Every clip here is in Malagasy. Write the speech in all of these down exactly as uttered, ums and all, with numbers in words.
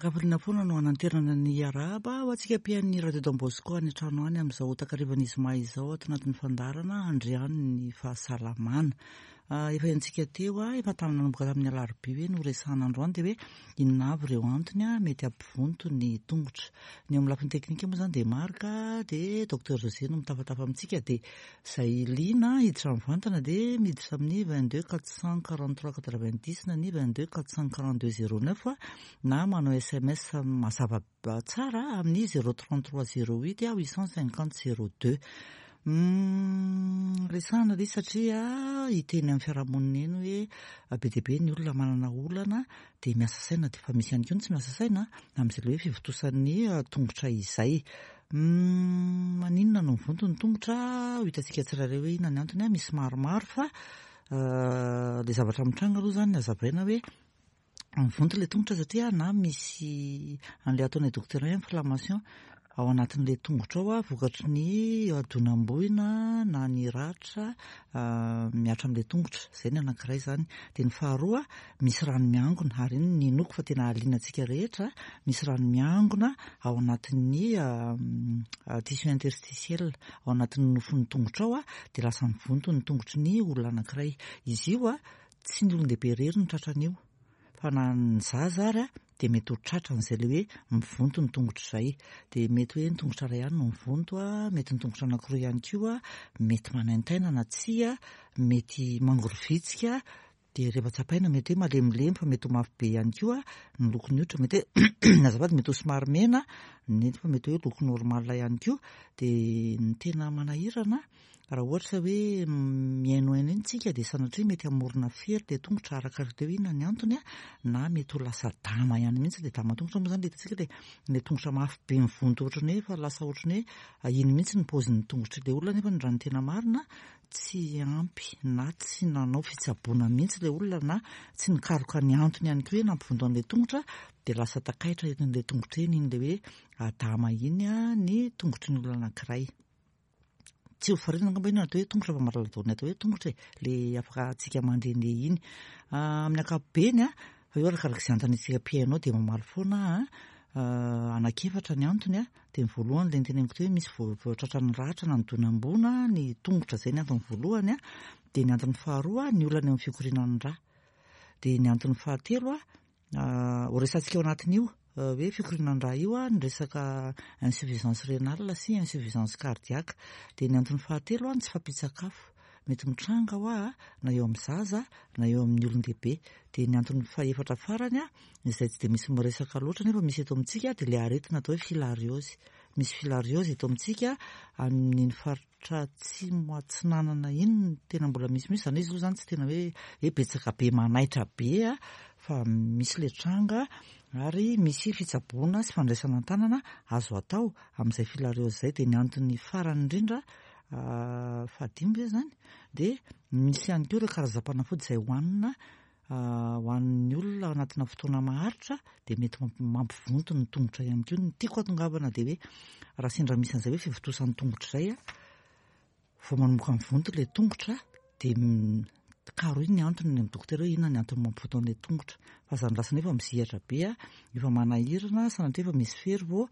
Ankafaliana foana no hananterana ny arahaba ho antsika mpihaino Radio Don Bosco any an-trano any amin'izao takarivan'ny zoma izao ato anatin'ny fandaharana andriany ny fahasalamana. Efa henontsika teo, efa tamin'ny nanomboka tamin'ny alarobia hoe noresahana androany dia hoe inona avy ireo antony mety hampivonto ny tongotra. Ny eo amin'ny lafiny teknika moa izany dia Marc, dia Docteur José no mitafatafa amintsika, dia izay liana hiditra mivantana dia miditra amin'ny vingt deux quatre cent quarante trois quatre vingt dix na ny vingt deux quatre cent quarante deux zéro neuf na manao S M S mazava tsara amin'ny zéro trente trois zéro huit huit cent cinquante zéro deux. Resahana ilay izy satria hiteny amin'ny fiarahamonina eny hoe be dia be ny olona manana olana dia miasa saina, dia efa misy ihany koa ny tsy miasa saina amin'izay ilay hoe fivontosan'ny tongotra izay. Maninona no mivonto ny tongotra? Ho hitantsika tsirairay hoe inona ny antony. Misy maromaro, fa ilay zavatra mitranga aloha izany hazavaina hoe mivonto ilay tongotra satria na misy an'ilay ataon'ny dokotera hoe inflammation ao anatin'ilay tongotra ao, vokatry ny donam-boina na ny ratra mihatra amin'ilay tongotra. Izay ny anankiray izany. Dia ny faharoa, misy rano miangona, ary iny no inoako fa tena hahaliana antsika rehetra. Misy rano miangona ao anatin'ny tissu interstitiel, ao anatin'ny nofon'ny tongotra ao, dia lasa mivonto ny tongotry ny olona anankiray. Izy io a tsy ny olon-dehibe irery no tratran'io, fa na ny zaza ary dia mety ho tratran'izay ilay hoe mivonto ny tongotra izay. Dia mety hoe ny tongotra iray ihany no mivonto, mety ny tongotra anankiroa ihany koa, mety manaintaina na tsia, mety mangorovitsika, dia rehefa tsapaina mety hoe malemilemy, fa mety ho mafy be ihany koa ny lokon'ny hoditra, mety hoe, azafady, mety ho somary mena, nefa mety hoe loko normal ihany koa. Dia ny tena manahirana, raha ohatra hoe mihainohaino iny tsika, dia sanatria mety hamorona fery le tongotra, arakaraka teo inona ny antony a na mety ho lasa dama ihany mihitsy. Le dama tongotra moa zany le hitantsika, le le tongotra mafy be mivonto, ohatrany hoe fa lasa ohatrany hoe iny mihitsy ny paozin'ny tongotry le olona, nefa ny raha ny tena marina tsy ampy na tsy nanao fitsaboana mihitsy le olona na tsy nikaroka ny antony ihany koa hoe nampivonto an'le tongotra, de lasa takaitra en'le tongotra eny iny, le hoe adama iny a ny tongotry ny olona anankiray. Tsy ho faritana angamba iny atao hoe tongotra, fa mahalala daholo ny atao hoe tongotra e, le afaka atsika mandehandeha iny amin'ny ankapobeny a fa io arakaraka izay anontaniantsika mpihaino dia mamaly foana a anankiefatra ny antony a dia ny voalohany, le niteneniko teo hoe misy voatratran'ny ratra na ny donam-boina ny tongotra, zay ny antony voalohany a dia ny antony faharoa, ny olana eo amin'ny fikorianan'ny rà. Dia ny antony fahatelo a ho resahantsika ao anatin'io hoe fikorianan'ny rà io a ny resaka insuffisance rénale sy insuffisance cardiaque. Dia ny antony fahatelo a ny tsy fahampian-tsakafo mety mitranga ho a na eo amin'ny zaza na eo amin'ny olon-dehibe. Dia ny antony fahefatra farany a izay tsy dia misy miresaka loatra nefa misy eto amintsika, dia le aretina atao hoe filariose. Misy filariose eto amintsika amin'iny faritra atsimo atsinanana iny no tena mbola misimisy zany. Izy aloha zany tsy tena hoe hoe betsaka be manaitra be a fa misy le tranga, ary misy fitsaboana sy fandraisana an-tanana azo atao amin'izay filariose zay. Dia ny antony farany indrindra, fahadimy ve zany, dia misy ihany koa ireo karazam-panafody izay hohanina hohanin'ny olona anatina fotoana maharitra, dia mety mampivonto ny tongotra ihany koa. Ny tiako hatongavana dia hoe raha sendra misy an'izay hoe fivontosan'ny tongotra izay a vao manomboka mivonto le tongotra, dia karo iny ny antony ny amin'ny dokotera hoe inona ny antony mampivonto an'ilay tongotra, fa zany lasa nefa mizihatra be a efa manahirana, sanatria efa misy fery vao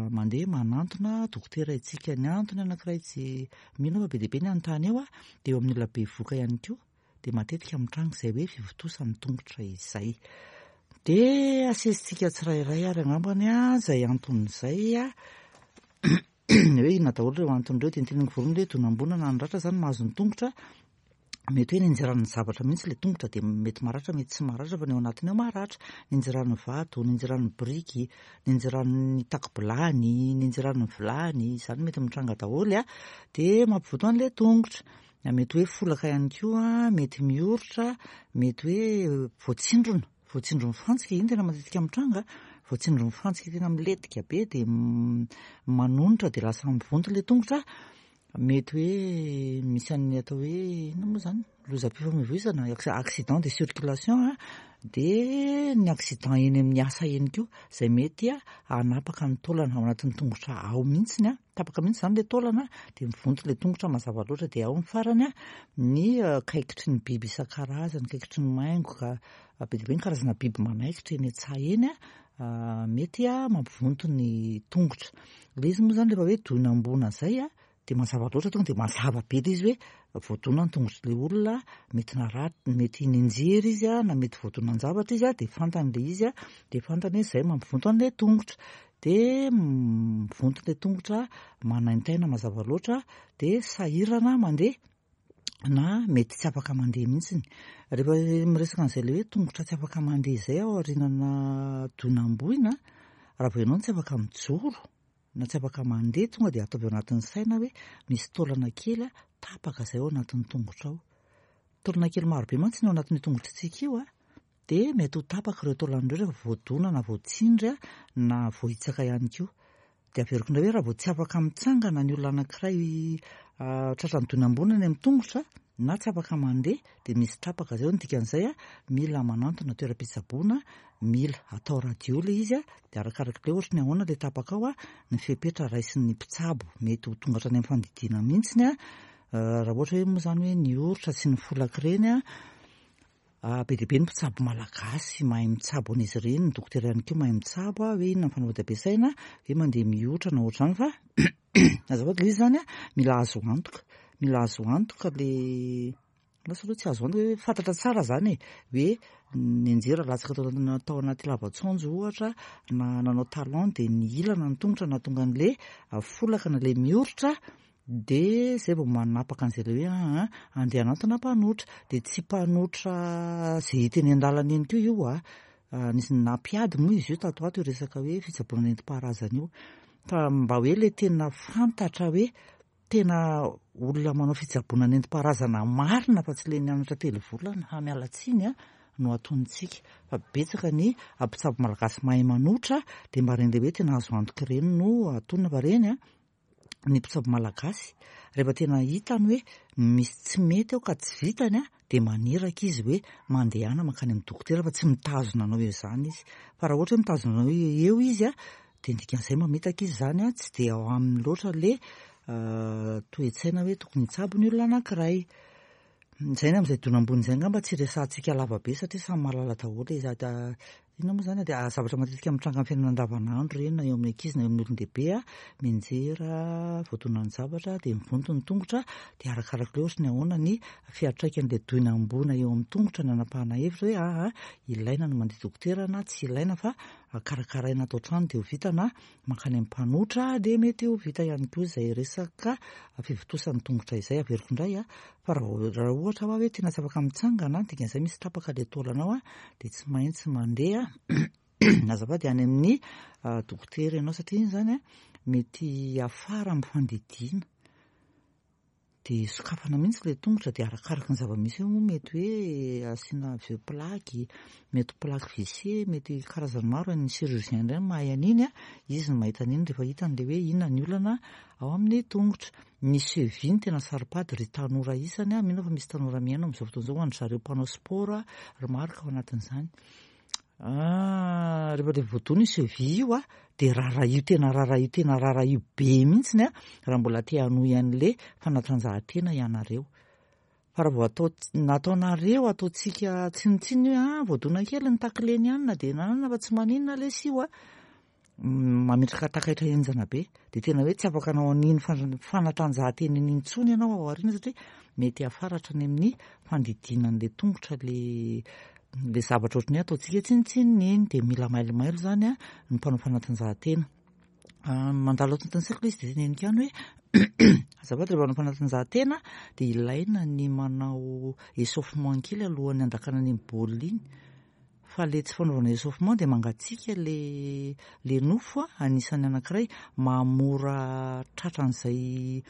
mandeha manantona dokotera itsika. Ny antony anankiray tsy mino fa be dia be ny anontany eo a dia eo amin'ny olona bevohoka ihany koa dia matetika mitranga izay hoe fivontosan'ny tongotra izay. Dia asesitsika tsirairay ary angambany a zay anton'izay a hoe inona daholo ireo antony ireo. Dia niteneniko voalohany hoe donam-boina na ny ratra zany mahazo ny tongotra, mety hoe ninjiran'ny zavatra mihitsy le tongotra dia mety maratra, mety tsy maratra, fa ny ao anatiny ao maratra. Ninjiran'ny vato, ninjiran'ny biriky, ninjiran'ny tako-bilany, ninjiran'ny vilany, izany mety mitranga daholo a dia mampivonto an'le tongotra. Mety hoe folaka ihany koa, mety mioritra, mety hoe voatsindrona, voatsindron'ny fantsika, iny tena matetika mitranga, voatsindron'ny fantsika tena milentika be dia manonitra, dia lasa mivonto le tongotra. Mety hoe misy an'ny atao hoe inona moa zany, lozam-pifamoivoizana, accident de circulation a dia ny accident eny amin'ny asa eny koa izay mety a hanapaka ny taolana ao anatin'ny tongotra ao mihitsiny a tapaka mihitsy zany le taolana, dia mivonto le tongotra mazava loatra. Dia ao ny farany a ny kaikitry ny biby isan-karazany, kaikitry ny maingoka be dia be, ny karazana biby manaikitra eny an-tsaha eny a mety mampivonto ny tongotra. Ilay izy moa izany rehefa hoe donam-boina izay dia mazava loatra, tonga dia mazava be ilay izy hoe voadona ny tongotr'ilay olona, mety naratra, mety nianjera izy na mety voadonan-javatra izy, dia fantany ilay izy, dia fantany hoe izay mampivonto an'ilay tongotra. Dia mivonto ilay tongotra, manaintaina mazava loatra, dia sahirana mandeha na mety tsy afaka mandeha mihitsiny. Rehefa miresaka an'izay ilay hoe tongotra tsy afaka mandeha izay ao aorianana donam-boina, raha vao ianao no tsy afaka mijoro na tsy afaka mandeha, tonga dia ataovy ao anatin'ny saina hoe misy taolana kely tapaka izay ao anatin'ny tongotra ao. Taolana kely marobe mantsy ny ao anatin'io tongotritsika io, dia mety ho tapaka ireo taolana ireo rehefa voadona na voatsindry na voahitsaka ihany koa. Dia averiko indray hoe raha vao tsy afaka mitsangana ny olona anankiray tratran'ny donam-boina any amin'ny tongotra na tsy afaka mandeha, dia misy tapaka izay. Ny dikan'izay, mila manantona toeram-pitsaboana, mila atao radio ilay izy, dia arakaraka ilay ohatry ny ahoana ilay tapaka ao ny fepetra raisin'ny mpitsabo. Mety ho tonga hatrany amin'ny fandidiana mihitsiny raha ohatra hoe moa izany hoe nioritra sy nifolaka ireny. Be dia be ny mpitsabo malagasy mahay mitsabo an'izy ireny, ny dokotera ihany koa mahay mitsabo hoe inona ny fanafody ampiasaina, hoe mandeha mihotra na ohatr'izany, fa azafady, ilay izy izany mila azo antoka, mila azo antoka ilay, lasa aloha tsy azo antoka hoe fantatra tsara izany e, hoe nianjera latsaka tao anaty lava-tsaonjo ohatra, na nanao talon dia nihilana ny tongotra nahatonga an'ilay folaka na ilay mioritra, dia izay vao manapaka an'izay ilay hoe aa andeha hanantona mpanotra. Dia tsy mpanotra izay hita eny an-dalana eny koa io a. Nisy nampiady moa izy io tato ato io resaka hoe fitsaboana nentim-paharazana io, fa mba hoe ilay tena fantatra hoe tena olona manao fitsaboana nentim-paharazana marina fa tsy ilay nianatra telo volana, ha miala tsiny a, no ataontsika. Fa betsaka ny mpitsabo malagasy mahay manotra, dia mba ireny ilay hoe tena azo antoka ireny no atonina. Fa ireny a, ny mpitsabo malagasy rehefa tena hitany hoe misy tsy mety ao ka tsy vitany a, dia maniraka izy hoe mandehana mankany amin'ny dokotera, fa tsy mitazona anao eo izany izy. Fa raha ohatra hoe mitazona anao eo izy a, dia ny dikan'izay mamitaka izy izany a, tsy dia ao aminy loatra ilay toe-tsaina hoe tokony hitsabo ny olona anankiray. Izay ny amin'izay donam-boina izay angamba tsy resahantsika lava be satria samy mahalala daholo izy. Inona moa izany dia zavatra matetika mitranga amin'ny fiainana andavanandro ireny, na eo amin'ny ankizy na eo amin'ny olon-dehibe, mianjera, voadonan'ny zavatra, dia mivonto ny tongotra, dia arakaraka ilay ohatry ny ahoana ny fiantraikan'ilay donam-boina eo amin'ny tongotra ny hanapahana hevitra hoe aa ilaina ny mandeha dokotera na tsy ilaina, fa karakaraina ato an-trano dia ho vita, na mankany amin'ny mpanotra dia mety ho vita ihany koa izay resaka fivontosan'ny tongotra izay. Averiko indray a, fa raha ohatra hoe tena tsy afaka mitsangana, dikan'izay misy tapaka ilay taolanao a, dia tsy maintsy mandeha azafady any amin'ny dokotera ianao, satria iny izany a mety hiafara amin'ny fandidiana, dia sokafana mihitsy ilay tongotra, dia arakaraka ny zava-misy eo moa mety hoe asiana vieux plaque, mety plaque vissée, mety karazany maro. Ny chirurgien indray mahay an'iny a, izy no mahita an'iny rehefa hitany ilay hoe inona ny olana ao amin'ny tongotra. Ny cheville no tena saro-pady ry tanora isany a, mino aho fa misy tanora mihaino amin'izao fotoana izao, ho an-dry zareo mpanao sport ry Marc ao anatin'izany. Rehefa ilay voadona io cheville io a, dia raharaha tena raharaha tena raharaha be mihitsiny a, raha mbola te hanohy an'ilay fanatanjahantena ianareo. Fa raha vao atao nataonareo ataontsika tsinontsinona hoe ah voadona kely ny tacleny ihany dia nanana fa tsy maninona ilay io a, mametraka takaitra henjana be, dia tena hoe tsy afaka hanao an'iny fanatanjahantena iny intsony ianao ao aoriana, satria mety hiafaratra any amin'ny fandidiana an'ilay tongotra ilay ilay zavatra ohatran'ny hoe ataontsika tsinontsinona iny. Dia mila mailomailo izany a ny mpanao fanatanjahantena. Mandalo ato anatin'ny saiko ilay izy, dia teneniko ihany hoe azafady, rehefa manao fanatanjahantena dia ilaina ny manao échauffement kely alohan'ny handakana an'iny baolina iny, fa ilay tsy fanaovana échauffement dia mangatsiaka ilay ilay nofo a, anisan'ny anankiray mahamora tratra an'izay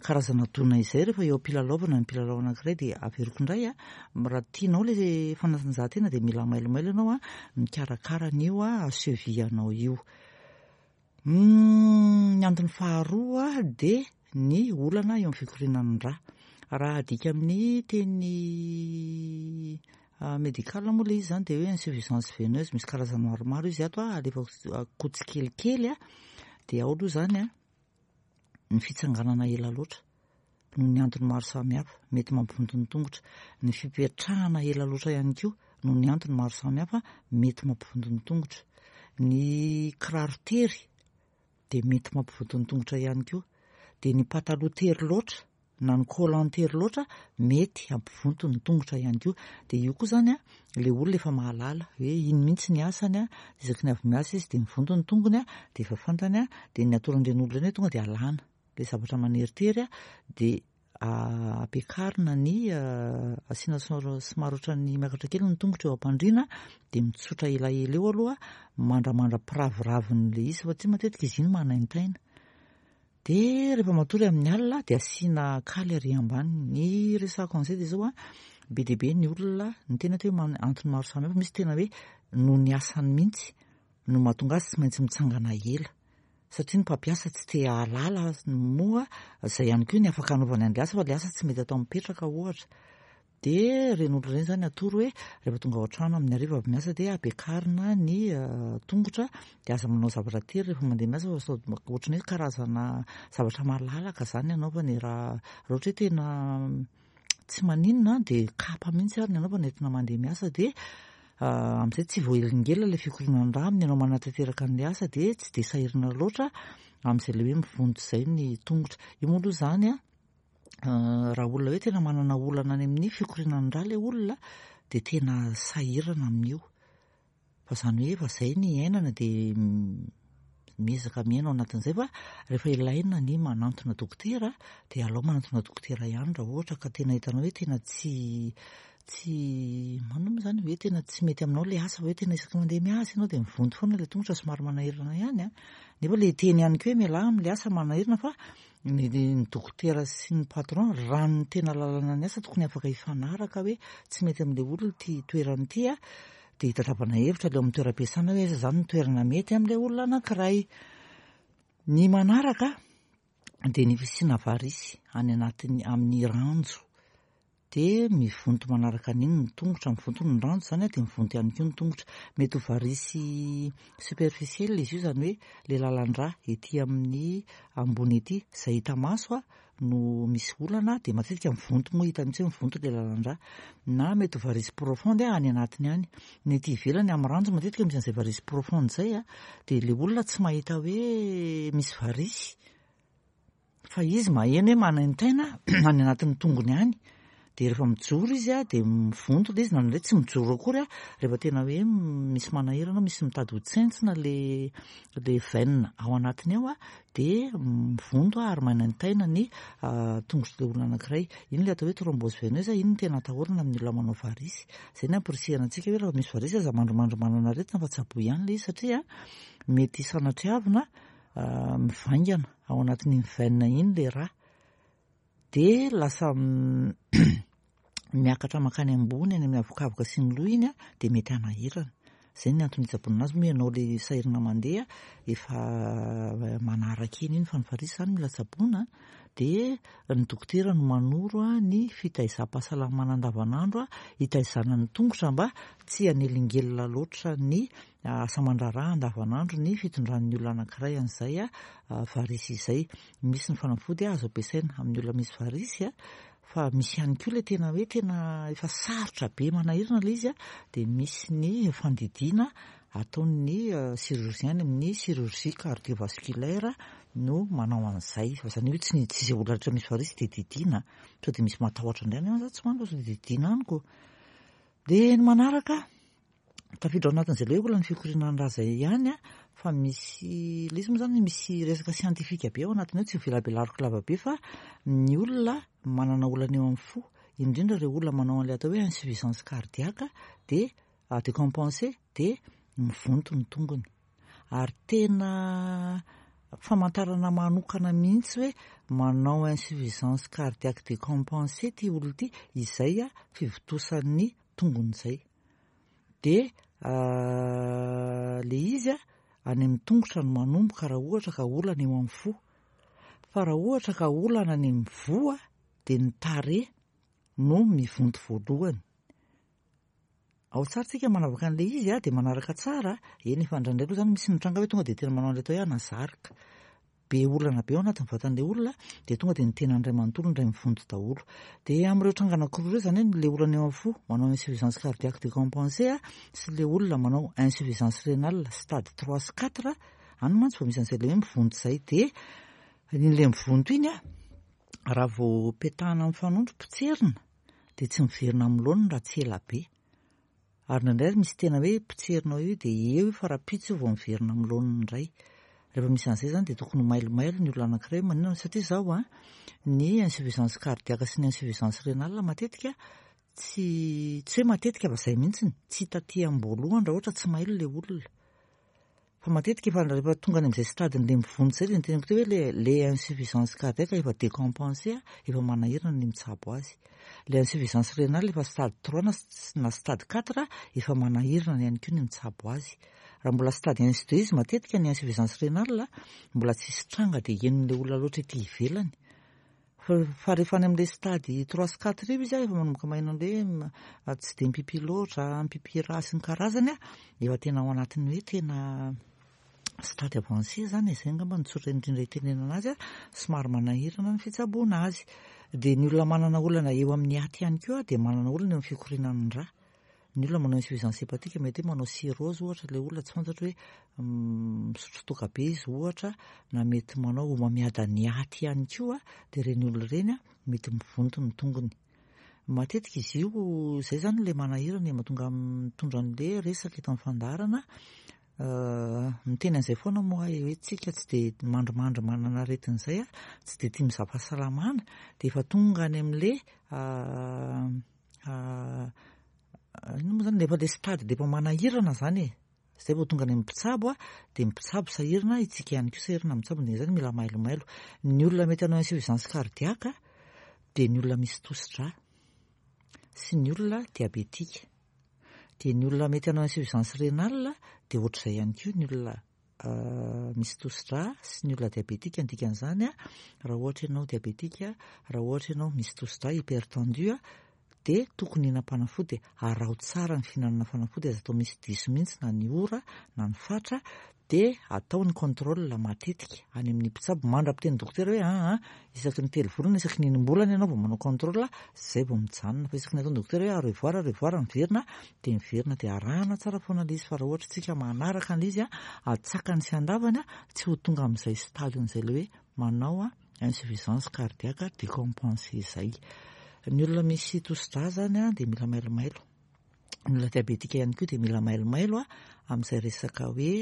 karazana dona izay rehefa eo am-pilalaovana ny mpilalao anankiray. Dia averiko indray a, raha tianao ilay fanatanjahantena dia mila mailomailo ianao a mikarakara an'io a cheville anao io. Ny antony faharoa dia ny olana eo amin'ny fikorianan'ny rà. Raha adika amin'ny teny médical moa ilay izy izany dia hoe insuffisance veineuse, misy karazany maromaro izy ato a, alefako tsikelikely a. Dia ao aloha izany a ny fitsanganana ela loatra noho ny antony maro samihafa mety mampivonto ny tongotra, ny fipetrahana ela loatra ihany koa noho ny antony maro samihafa mety mampivonto ny tongotra, Ny kiraro tery dia mety mampivonto ny tongotra ihany koa. Dia ny pataloha tery loatra na ny collant tery loatra mety hampivonto ny tongotra ihany koa. Dia io koa izany a, ilay olona efa mahalala hoe iny mihitsy ny asany a, isaky ny avy miasa izy dia mivonto ny tongony a, dia efa fantany a, dia ny atoron'ireny olona ireny hoe tonga dia alana ilay zavatra maneritery a, dia ampiakarina ny asiana somary ohatran'ny miakatra kely ny tongotra eo am-pandriana, dia mitsotra elaela eo aloha mandramandra-piraviravin'ilay izy fa tsy matetika izy iny manaintaina. Dia rehefa matory amin'ny alina dia asiana kaly ary ambany. Ny resako an'izay dia izao a, be dia be ny olona ny tena hoe antony maro samihafa, misy tena hoe noho ny asany mihitsy no mahatonga azy tsy maintsy mitsangana ela, satria ny mpampiasa tsy te hahalala moa izay ihany koa ny afaka anaovany an'ilay asa, fa ilay asa tsy mety atao mipetraka ohatra. Dia ireny olona ireny izany atoro hoe rehefa tonga ao an-trano amin'ny hariva avy miasa dia ampiakarina ny tongotra, dia aza manao zavatra tery rehefa mandeha miasa fa sao ohatran'ny hoe karazana zavatra malalaka izany anaovany. Raha raha ohatra hoe tena tsy maninona dia kapa mihitsy ary ny anaovana entina mandeha miasa, dia amin'izay tsy voahelingelina ilay fikorianan-drà amin'ny ianao manatanteraka an'ilay asa, dia tsy dia sahirana loatra amin'izay ilay hoe mivonto izay ny tongotra. Io moa aloha izany a, raha olona hoe tena manana olana any amin'ny fikorianan-drà ilay olona dia tena sahirana amin'io, fa izany hoe efa izay ny iainana dia miezaka miaina ao anatin'izay, fa rehefa ilaina ny manantona dokotera dia alao manantona dokotera ihany raha ohatra ka tena hitanao hoe tena tsy tsy manao moa izany hoe tena tsy mety aminao ilay asa, fa hoe tena isaky mandeha miasa ianao dia mivonto foana ilay tongotra, somary manahirana ihany a. Nefa ilay teny ihany koa hoe mialà amin'ilay asa manahirana, fa ny ny dokotera sy ny patron raha ny tena lalana ny asa tokony afaka hifanaraka hoe tsy mety amin'ilay olona ity toerana ity a, dia hitadiavana hevitra ilay ao amin'ny toeram-piasana hoe aiza izany ny toerana mety amin'ilay olona anankiray. Ny manaraka dia ny fisiana varisy any anatin'ny amin'ny ranjo, dia mivonto manaraka an'iny ny tongotra, mivonto ny ranjo izany a, dia mivonto ihany koa ny tongotra. Mety ho varisy superficielle izy io, izany hoe ilay lalan-drà ety amin'ny ambony ety izay hita maso a no misy olana, dia matetika mivonto moa hita mihitsy hoe mivonto ilay lalan-drà, na mety ho varisy profonde any anatiny any. Ny ety ivelany amin'ny ranjo matetika misy an'izay varisy profonde izay a, dia ilay olona tsy mahita hoe misy varisy fa izy maheno hoe manaintaina any anatin'ny tongony any, dia rehefa mijoro izy a dia mivonto ilay izy, na indray tsy mijoro akory a, rehefa tena hoe misy manahirana, misy mitady ho tsentsina le le veine ao anatiny ao a, dia mivonto ary manaintaina ny tongotr'ilay olona anankiray. Iny ilay atao hoe thrombose veineuse, iny no tena atahorana amin'ny olona manao varisy. Izay no ampirisihana antsika hoe raha misy varisy aza mandrimandry manana aretina fa tsaboy ihany ilay izy, satria mety sanatriavina mivaingana ao anatin'iny veine iny ilay rà, dia lasa miakatra mankany ambony any amin'ny avokavoka sy ny loha iny a, dia mety hanahirana. Izay ny antony hitsaboana anazy moa ianao ilay sahirana mandeha efa manaraka eny iny, fa ny varisy izany mila tsaboina, dia ny dokotera no manoro a ny fitaizam-pahasalamana andavanandro a, hitaizana ny tongotra mba tsy hanelingelina loatra ny asa aman-draharaha andavanandro ny fitondran'ny olona anankiray an'izay a varisy izay. Misy ny fanafody azo ampiasaina amin'ny olona misy varisy a, fa misy ihany koa ilay tena hoe tena efa sarotra be manahirana ilay izy a, dia misy ny fandidiana ataon'ny chirurgien amin'ny chirurgie cardiovasculaire no manao an'izay. Fa izany hoe tsy ny tsy izay olona rehetra misy varisy dia didiana, sao dia misy matahotra indray any, za tsy hoaniko sao dia didiana any ko. Dia ny manaraka tafiditra ao anatin'izay ilay olana fikorianan-drà izay ihany a, fa misy ilay izy moa izany misy resaka siantifika be ao anatiny ao, tsy ho velabelariko lava be, fa ny olona manana olana eo amin'ny fo, indrindra ireo olona manao an'ilay atao hoe insuffisance cardiaque dia décompensée, dia mivonto ny tongony. Ary tena famantarana manokana mihitsy hoe manao insuffisance cardiaque décompensée ity olona ity, izay a fivontosan'ny tongony izay. Dia ilay izy a any amin'ny tongotra no manomboka raha ohatra ka olana eo amin'ny fo, fa raha ohatra ka olana any amin'ny voa dia ny tarehy no mivonto voalohany. Ao tsara tsika manavaka an'ilay izy a, dia manaraka tsara. Eny efa indraindray aloha izany misy mitranga hoe tonga dia tena manao an'ilay atao hoe anazarika, be olana be ao anatin'ny vatan'ilay olona, dia tonga dia ny tenany iray manontolo indray mivonto daholo. Dia amin'ireo tranga anankiroa ireo izany hoe ilay olana eo amin'ny fo manao insuffisance cardiaque décompensée sy ilay olona manao insuffisance rénale stade trois sy quatre, any mantsy vao misy an'izay ilay hoe mivonto izay. Dia iny ilay mivonto iny a, raha vao petahana amin'ny fanondro potserina dia tsy miverina amin'ny laoniny raha tsy ela be. Ary indraindray ary misy tena hoe potserina io dia eo io fa rahampitso io vao miverina amin'ny laoniny indray. Rehefa misy an'izay izany dia tokony ho mailomailo ny olona anankiray. Maninona? Satria izao a, ny insuffisance cardiaque sy ny insuffisance rénale matetika tsy tsy hoe matetika fa izay mihitsiny, tsy hita aty am-boalohany raha ohatra tsy mailo ilay olona. Fa matetika efa rehefa tonga any amin'izay stade-n'ilay mivonto izay dia ny teneniko teo hoe le le insuffisance cardiaque efa décompensée efa manahirana ny mitsabo azy. Le insuffisance rénale efa stade trois na na stade quatre efa manahirana ihany koa ny mitsabo azy. Raha mbola stade un sy deux izy matetika ny insuffisance rénale mbola tsisy tranga dia henon'ilay olona loatra ety ivelany. Fa fa rehefa any amin'ilay stade trois sy quatre io izy a, efa manomboka maheno an'ilay hoe tsy dia mipipi loatra, mipipi rà sy ny karazany a, efa tena ao anatin'ny hoe tena stade avancé zany e, izay angamba no tsotra indrindra itenenana azy a, somary manahirana ny fitsaboana azy. Dia ny olona manana olana eo amin'ny aty ihany koa dia manana olana eo amin'ny fikorianan'ny rà. Ny olona manao insuffisance hépatique mety hoe manao cirrhose ohatra ilay olona, tsy fantatro hoe misotro toaka be izy ohatra, na mety manao homamiadan'ny aty ihany koa, dia ireny olona ireny a mety mivonto ny tongony. Matetika izy io izay zany ilay manahirana mahatonga mitondra an'ilay resaka eto amin'ny fandaharana. Miteny an'izay foana moa aho hoe tsika tsy dia mandrimandry manana aretina izay a, tsy dia tia mizaha fahasalamana, dia efa tonga any amin'ilay inona moa zany, efa ilay stade dia efa manahirana zany e. Izay vao tonga any amin'ny mpitsabo a, dia ny mpitsabo sahirana, isika ihany koa sahirana mitsabo, dia izany mila mailomailo. Ny olona mety hanao insuffisance cardiaque dia ny olona misy tosi-drà sy ny olona diabetika. Dia ny olona mety hanao insuffisance rénale dia ohatr'izay ihany koa ny olona misy tosi-drà sy ny olona diabetika. Ny dikan'izany a, raha ohatra ianao diabetika, raha ohatra ianao misy tosi-drà hypertendu a, dia tokony hihinam-panafody, araho tsara ny fihinanana fanafody, aza atao misy diso mihitsy na ny ora na ny fatra, dia atao ny contrôle matetika any amin'ny mpitsabo mandra-piteny dokotera hoe aa isaky ny telo volana, isaky ny enim-bolana ianao vao manao contrôle, izay vao mijanona. Fa isaky ny ataon'ny dokotera hoe au revoir, au revoir, miverina dia miverina, dia arahana tsara foana ilay izy. Fa raha ohatra tsika manaraka an'ilay izy a, atsakany sy andavany a, tsy ho tonga amin'izay stade-n'izay ilay hoe manao a insuffisance cardiaque décompensée izay. Ny olona misy tosi-drà zany a dia mila mailomailo. Ny olona diabetika ihany koa dia mila mailomailo a amin'izay resaka hoe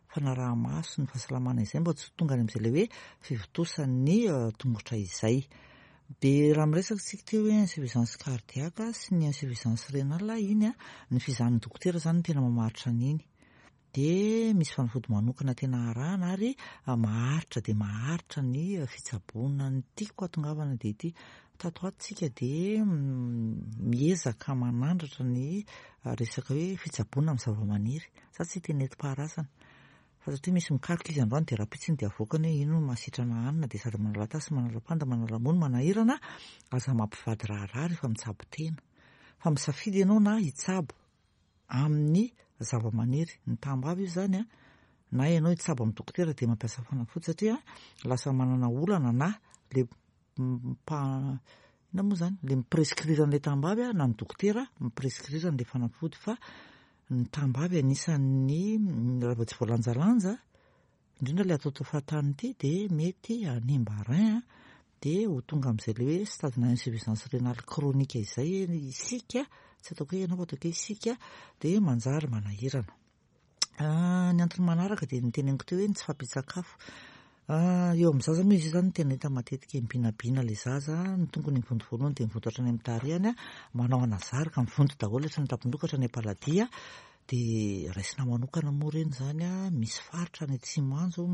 fanaraha-maso ny fahasalamana izay, mba tsy ho tonga any amin'izay ilay hoe fivontosan'ny tongotra izay. Dia raha miresaka isika teo hoe insuffisance cardiaque sy ny insuffisance rénale iny a, ny fizahan'ny dokotera zany no tena mamaritra an'iny. Dia misy fanafody manokana tena arahana ary maharitra dia maharitra ny fitsaboana. Ny tiako hahatongavana dia ity, tato ato tsika dia miezaka manandratra ny resaka hoe fitsaboana amin'ny zava-maniry. Za tsy hiteny nentim-paharazana fa satria misy mikaroka izy androany dia rahampitso iny dia avoakany hoe ino no mahasitrana hanina, dia sady manala tasy, manala panda, manala mony, manahirana. Aza mampivady raharaha rehefa mitsabo tena, fa misafidy ianao na hitsabo amin'ny zava-maniry, ny tambavy io zany a, na ianao hitsabo amin'ny dokotera dia mampiasa fanafody, satria lasa manana olana na le mpa inona moa zany le mi-prescrire an'ilay tambavy a, na ny dokotera mi-prescrire an'ilay fanafody. Fa ny tambavy anisan'ny raha vao tsy voalanjalanja, indrindra ilay ataotao fahatany ity, dia mety hanimba rein a, dia ho tonga amin'izay ilay hoe stade-na insuffisance rénale chronique izay isika, tsy ataoko hoe ianao fa ataoko hoe isika, dia manjary manahirana. Ny antony manaraka dia ny teneniko teo hoe ny tsy fahampian-tsakafo. Eo amin'ny zaza moa izy io zany tena hita matetika, mibinabina ilay zaza, ny tongony mivonto voalohany dia mivonto hatrany amin'ny tarehiny, manao anazary ka mivonto daholo hatrany an-tampon-doha ka hatrany am-paladia, dia raisina manokana moa ireny zany a, misy faritra any atsimo any zao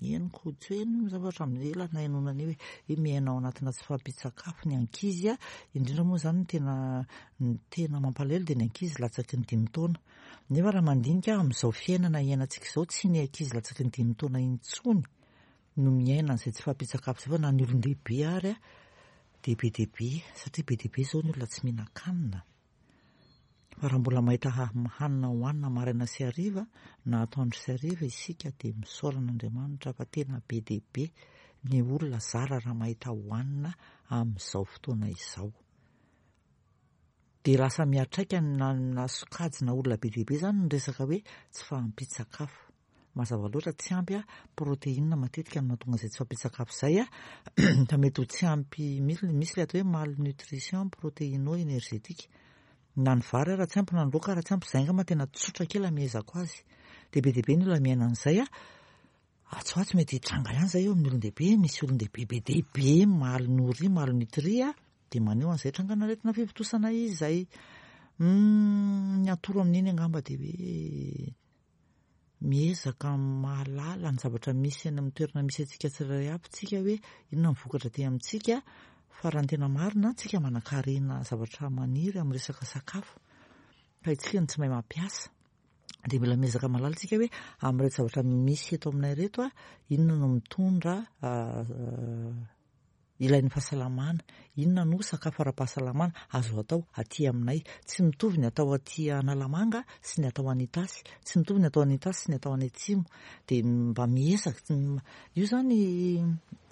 henoko, tsy hoe heno zavatra hatramin'ny ela nahenoana an'io hoe hoe miaina ao anatina tsy fahampian-tsakafo ny ankizy a, indrindra moa zany ny tena ny tena mampalahelo dia ny ankizy latsaky ny dimy taona. Nefa raha mandinika amin'izao fiainana iainantsika izao, tsy ny ankizy latsaky ny dimy taona intsony no miaina an'izay tsy fahampian-tsakafo izay, fa na ny olon-dehibe ary a dia be dia be, satria be dia be izao ny olona tsy mihinan-kanina. Fa raha mbola mahita hanina hohanina maraina sy hariva na atoandro sy hariva isika dia misaora an'Andriamanitra fa tena be dia be ny olona zara raha mahita hohanina amin'izao fotoana izao. Dia lasa miantraika na na sokajina olona be dia be izany ny resaka hoe tsy fahampian-tsakafo. Mazava loatra tsy ampy protéine matetika no mahatonga izay tsy fahampian-tsakafo izay, fa mety ho tsy ampy, misy misy ilay atao hoe malnutrition protéino-énergétique. Na ny vary ara tsy ampy na ny laoka ara tsy ampy, izay angamba tena tsotra kely amehezako azy. Dia be dia be ny olona miaina an'izay. Atsy ho atsy mety hitranga ihany izay eo amin'ny olon-dehibe, misy olon-dehibe be dia be malnourri, malnutri, dia maneho an'izay trangan'aretina fivontosana izay. Ny atoro amin'iny angamba dia hoe miezaka mahalala ny zavatra misy any amin'ny toerana misy antsika tsirairay avy tsika hoe inona ny vokatra aty amintsika, fa raha ny tena marina tsika manan-karena zavatra maniry amin'ny resaka sakafo fa isika no tsy mahay mampiasa. Dia mila miezaka mahalala tsika hoe amin'ireto zavatra misy eto aminay ireto a, inona no mitondra ilain'ny fahasalamana, inona no sakafo ara-pahasalamana azo atao aty aminay. Tsy mitovy ny atao aty Analamanga sy ny atao any Itasy, tsy mitovy ny atao any Itasy sy ny atao any Atsimo. Dia mba miezaka, io zany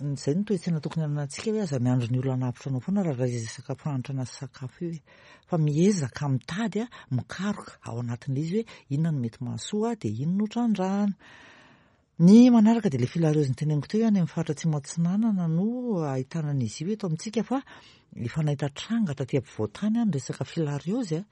izay no toe-tsaina tokony hananantsika hoe aza miandry ny olona hanavotra anao foana raha resaka fahantrana sy sakafo io e. Fa miezaka mitady, mikaroka ao anatin'ilay izy hoe inona no mety mahasoa dia inona no trandrahana. Ny manaraka dia ilay filariose noteneniko teo any amin'ny faritra Atsimo Atsinanana no ahitana an'izy io eto amintsika, fa efa nahita tranga taty ampovoan-tany ny resaka filariose.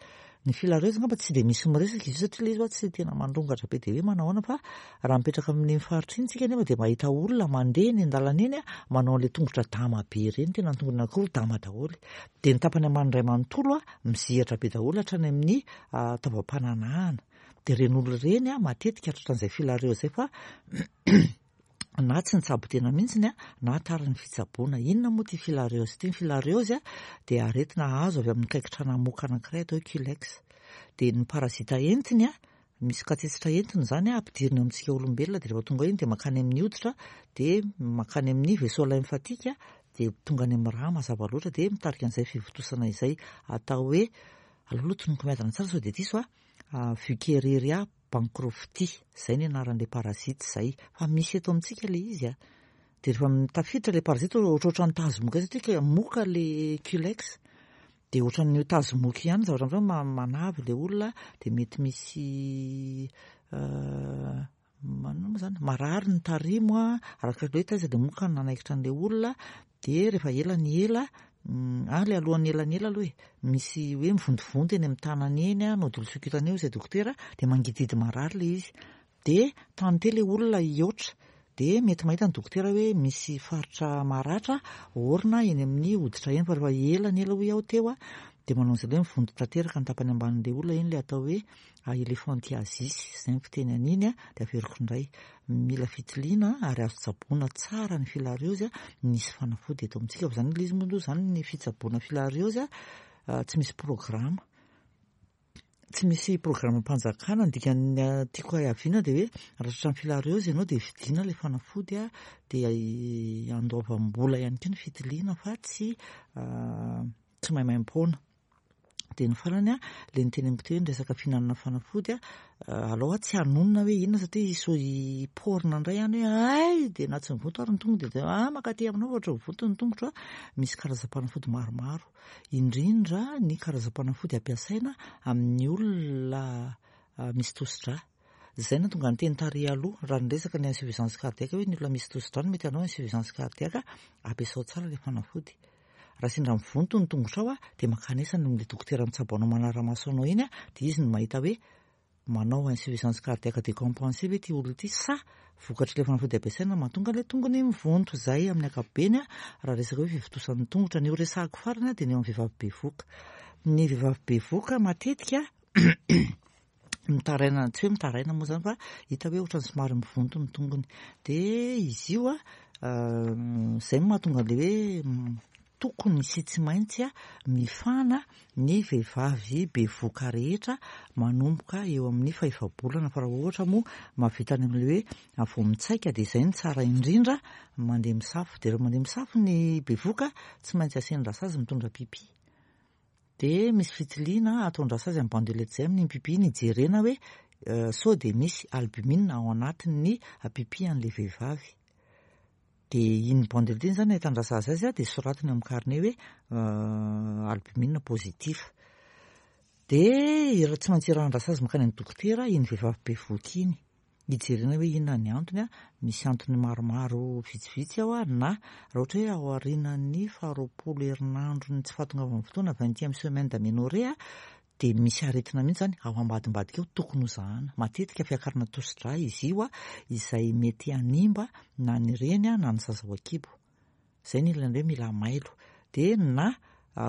Ny filariose angamba tsy dia misy miresaka izy io satria ilay izy tsy tena mandrongatra be dia hoe manahoana, fa raha mipetraka amin'iny faritra iny tsika nefa dia mahita olona mandeha eny an-dalana eny manao an'ilay tongotra dama be ireny, tena ny tongony anankiroa dama daholo. Dia ny tapany ambany iray manontolo mizihatra be daholo hatrany amin'ny taovam-pananahana. Dia ireny olona ireny matetika tratran'izay filariose izay fa na tsy nitsabo tena mihitsy na tara ny fitsaboana. Inona moa ity filariose ity? Ny filariose dia aretina azo avy amin'ny kaikitra namoka anankiray atao hoe culex. Dia ny parazita entiny, misy katsetsitra entiny izany ampidiriny eo amintsika olombelona, dia rehefa tonga iny dia mankany amin'ny hoditra, dia mankany amin'ny vaisseau lymphatique, dia tonga any amin'ny rà mazava loatra, dia mitarika an'izay fivontosana izay atao hoe, aleo aloha tononiko miadana tsara sao dia diso a, Wuchereria bancrofti, izay ny anaran'ilay parazita izay. Fa misy eto amintsika ilay izy a. Dia rehefa tafiditra ilay parazita ohatrohatran'ny tazomoka satria moka ilay culex, dia ohatran'ny tazomoka ihany zavatra mitranga, manavy ilay olona, dia mety misy manao moa izany marary ny tarimo a, araka ilay hoe taiza dia moka no nanaikitra an'ilay olona. Dia rehefa ela ny ela, ah ilay alohan'ny ela ny ela aloha e, misy hoe mivontovonto eny amin'ny tanana eny a, nodule sous-cutané izay dokotera, dia mangidihidy marary ilay izy. Dia tante ilay olona hihoatra, dia mety mahita ny dokotera hoe misy faritra maratra orina eny amin'ny hoditra eny, fa rehefa ela ny ela hoy aho teo a, dia manao an'izay hoe mivonto tanteraka ny tapany ambanin'ilay olona eny, ilay atao hoe elephantiasis, izay ny fiteny an'iny a. Dia averiko indray, mila fitiliana ary azo tsaboina tsara ny filariose, misy fanafody eto amintsika. Fa izany ilay izy moa aloha izany ny fitsaboana filariose tsy misy programa, tsy misy programam-panjakana. Ny dikan'ny tiako haviana dia hoe raha tratran'ny filariose ianao dia vidiana ilay fanafody a, dia andoavam-bola ihany koa ny fitiliana fa tsy tsy maimaim-poana. Dia ny farany a, ilay niteneniko teo hoe ny resaka fihinanana fanafody a, aleo tsy hanonona hoe inona satria so hiporina indray any hoe ay dia na tsy mivonto ary ny tongotra dia ah mankaty aminao ohatra mivonto ny tongotro a. Misy karazam-panafody maromaro, indrindra ny karazam-panafody ampiasaina amin'ny olona misy tosidra. Izay no tonga niteny tary aloha raha niresaka ny insuffisance cardiaque hoe ny olona misy tosidra no mety hanao insuffisance cardiaque, ampiasao tsara ilay fanafody. Raha sendra mivonto ny tongotrao a, dia mankanesa any amin'ilay dokotera mitsabo anao manara-maso anao iny a, dia izy no mahita hoe manao insuffisance cardiaque décompensée ve ity olona ity sa vokatr'ilay fanafody ampiasaina mahatonga ilay tongony mivonto. Izay amin'ny ankapobeny a, raha resaka hoe fivontosan'ny tongotra. Ny ho resahako farany a dia ny eo amin'ny vehivavy bevoka. Ny vehivavy bevoka matetika mitaraina, tsy hoe mitaraina moa izany fa hita hoe ohatran'ny somary mivonto ny tongony. Dia izy io a, izay no mahatonga an'ilay hoe tokony sy tsy maintsy mifana ny vehivavy bevoka rehetra manomboka eo amin'ny fahefa-bolana. Fa raha ohatra moa mahavita any amin'ilay hoe vao mitsaika dia izay no tsara indrindra mandeha misafo. Dia rehefa mandeha misafo ny bevoka tsy maintsy asiany rasazy mitondra pipi. Dia misy fitiliana ataon-dRasazy amin'ny bandelette izay amin'iny pipi iny, hijerena hoe sao dia misy albumine ao anatin'ny pipi an'ilay vehivavy. Dia iny bandelette iny izany ahitan-dRasazy azy, dia soratiny amin'ny carnet hoe albumine positif. Dia tsy maintsy irahan-dRasazy mankany amin'ny dokotera iny vehivavy bevohoka iny, hijerena hoe inona ny antony. Misy antony maromaro vitsivitsy ao, na raha ohatra hoe ao aorianan'ny faharoapolo herinandro ny tsy fahatongavan'ny fotoana, vingtième semaine d'aménorrhée, dia misy aretina mihitsy zany ao ambadimbadika ao tokony hozahana. Matetika fiakarana tosi-drà izy io, izay mety hanimba na ny reny na ny zaza ao an-kibo. Izay ny ilana hoe mila mailo. Dia na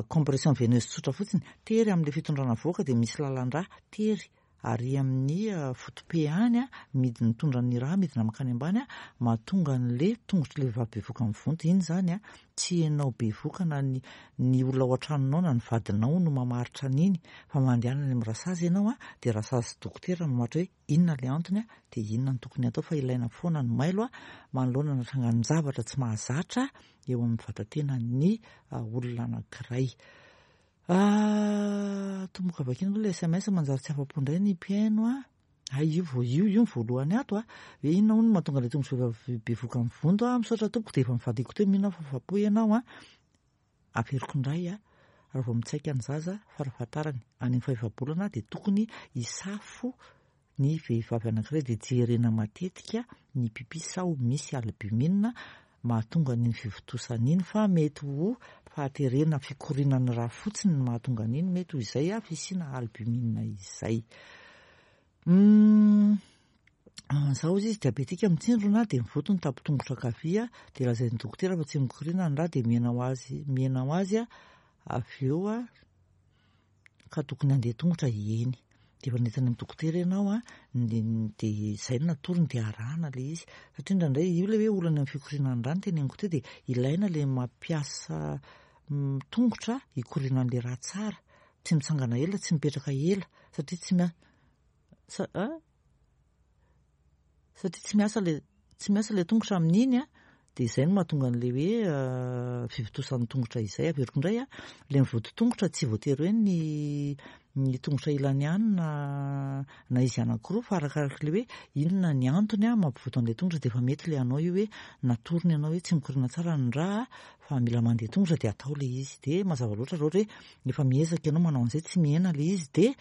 compression veineuse tsotra fotsiny, tery amin'ilay fitondrana vohoka dia misy lalan-drà tery ary amin'ny foto-pe any, midina mitondra ny rà midina mankany ambany, mahatonga an'le tongotr'ilay vehivavy bevohoka mivonto. Iny zany tsy ianao bevohoka na ny ny olona ao an-tranonao na ny vadinao no mamaritra an'iny, fa mandehana any amin'ny rasazy ianao, dia rasazy dokotera mamaritra hoe inona ilay antony, dia inona no tokony atao. Fa ilaina foana ny mailo manoloana ny trangan-javatra tsy mahazatra eo amin'ny vatatenan'ny olona anankiray. Tomboka vakina aloha ilay S M S, manjary tsy afa-po indray ny mpihaino. Ay, io vo io io ny voalohany ato a, hoe inona hono mahatonga ilay tongotra vehivavy bevohoka mivonto a? Misaotra tompoko, dia efa mivadiko teo, mino aho fa afa-po ianao a. Averiko indray a, raha vao mitsaika ny zaza farafahatarany any amin'ny fahefa-bolana, dia tokony hisafo ny vehivavy anankiray, dia jerena matetika ny pipi sao misy albumine mahatonga an'iny fivontosana iny, fa mety ho fahaterena fikorianan'ny rà fotsiny no mahatonga an'iny, mety ho izay a fisiana albumine izay. Zaho izy izy diabetika mitsindrona, dia mivonto ny tapo-tongotra ankavia, dia lazain'ny dokotera fa tsy mikoriana ny rà, dia mihena ho azy mihena ho azy avy eo a, ka tokony handeha tongotra eny. Dia efa nentiny amin'ny dokotera ianao a, dia izay no natorony, dia arahana ilay izy, satria indraindray io ilay hoe olana amin'ny fikorianan'ny rà no teneniko teo, dia ilaina ilay mampiasa tongotra hikorianan'ilay rà tsara, tsy mitsangana ela, tsy mipetraka ela, satria tsy mia sa satria tsy miasa le tsy miasa ilay tongotra amin'iny a, dia izay no mahatonga an'ilay hoe fivontosan'ny tongotra izay. Averiko indray a, ilay mivonto tongotra tsy voatery hoe ny ny tongotra ilany ihany na na izy anankiroa, fa arakaraka ilay hoe inona ny antony a mampivonto an'ilay tongotra. Dia efa mety ilay anao io hoe natorony ianao hoe tsy mikoriana tsara ny rà fa mila mandeha tongotra, dia atao ilay izy. Dia mazava loatra, raha ohatra hoe efa miezaka ianao manao an'izay tsy mihena ilay izy, dia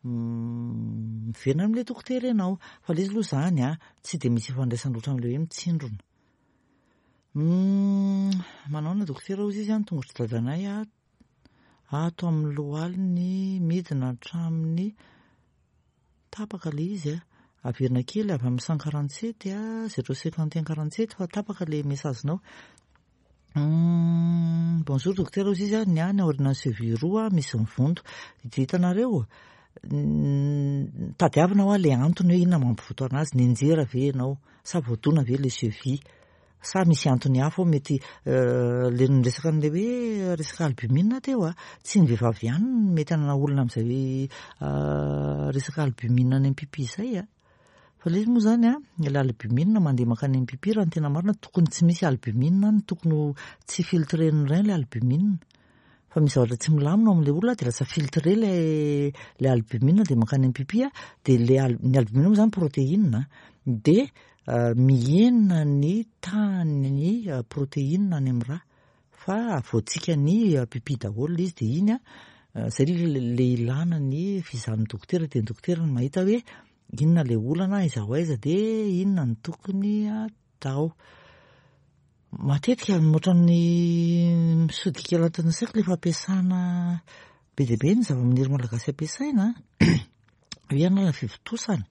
miverina amin'ilay dokotera ianao. Fa ilay izy aloha izany a tsy dia misy ifandraisany loatra amin'ilay hoe mitsindrona. Manao na dokotera hozy izy a, ny tongotra dadanay a ato amin'ny lohaliny midina hatramin'ny tapaka ilay izy a. Averina kely avy amin'ny cent quarante-sept a, zéro cinquante et un quarante-sept, fa tapaka ilay message-nao. Bonjour docteur, hozy izy a, ny ahy ny aorianan'ny cheville roa misy mivonto. Dia hitanareo, tadiavina hoa ilay antony hoe inona mampivonto anazy, nianjera ve ianao sa voadona ve ilay cheville, sa misy antony hafa ao? Mety le niresaka an'ilay hoe resaka albumine teo a, tsy ny vehivavy ihany no mety hanana olona amin'izay resaka albumine any amin'ny pipi izay a. Fa ilay izy moa zany a, ilay albumine mandeha mankany amin'ny pipi, raha ny tena marina tokony tsy misy albumine any, tokony ho tsy filtren'ny rein ilay albumine, fa misy zavatra tsy milamina ao amin'ilay olona, dia lasa filtré ilay ilay albumine dia mankany amin'ny pipi a. Dia le ny albumine moa zany protéine, dia mihena ny tahan'ny protéine any amin'ny rà, fa avoatsika ny pipi daholo ilay izy. Dia iny a zay le ilana ny fizahan'ny dokotera, dia ny dokotera no mahita hoe inona ilay olana, aiza ho aiza, dia inona no tokony atao. Matetika ohatran'ny misodika anatin'ny saiko ilay fampiasana be dia be ny zava-maniry malagasy ampiasaina hoe hanala fivontosana,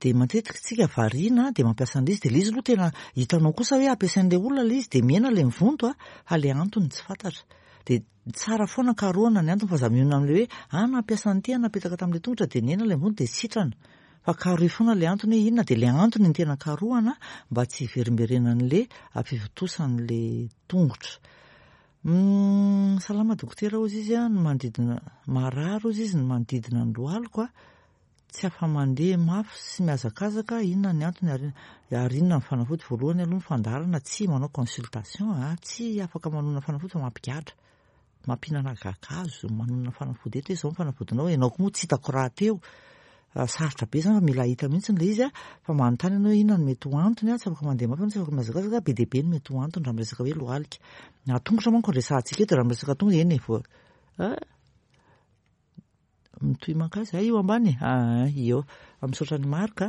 dia matetika tsika variana dia mampiasa an'ilay izy, dia ilay izy aloha tena hitanao kosa hoe ampiasain'ilay olona ilay izy, dia mihena ilay mivonto a, fa ilay antony tsy fantatra. Dia tsara foana karohana ny antony, fa za mionona amin'ilay hoe ah, nampiasa an'ity, napetaka tamin'ilay tongotra, dia nihena ilay mivonto, dia sitrana, fa karohy foana ilay antony hoe inona. Dia ilay antony ny tena karohana mba tsy hiverimberenan'ilay fivontosan'ilay tongotra. Salama dokotera, hozy izy a, ny manodidina marary, hozy izy, ny manodidina ny lohaliko a, tsy afa-mandeha mafy sy mihazakazaka, inona ny antony ary ary inona ny fanafody? Voalohany aloha, ny fandaharana tsy manao consultation a, tsy afaka manona fanafody fa mampigadra. Mampihinana kakazo, manonona fanafody eto hoe izao ny fanafodinao, ianao koa moa tsy hitako rahateo. Sarotra be izany fa mila hita mihitsy ilay izy fa manontany ianao hoe inona no mety ho antony, tsy afaka mandeha mafy ianao, tsy afaka mihazakazaka, be dia be ny mety ho antony raha miresaka hoe lohalika. Na tongotra manko no resahantsika eto, raha miresaka tongotra eny e, vao mitohy mankaiza? Io ambany e, eo. Misaotra an'i Marc,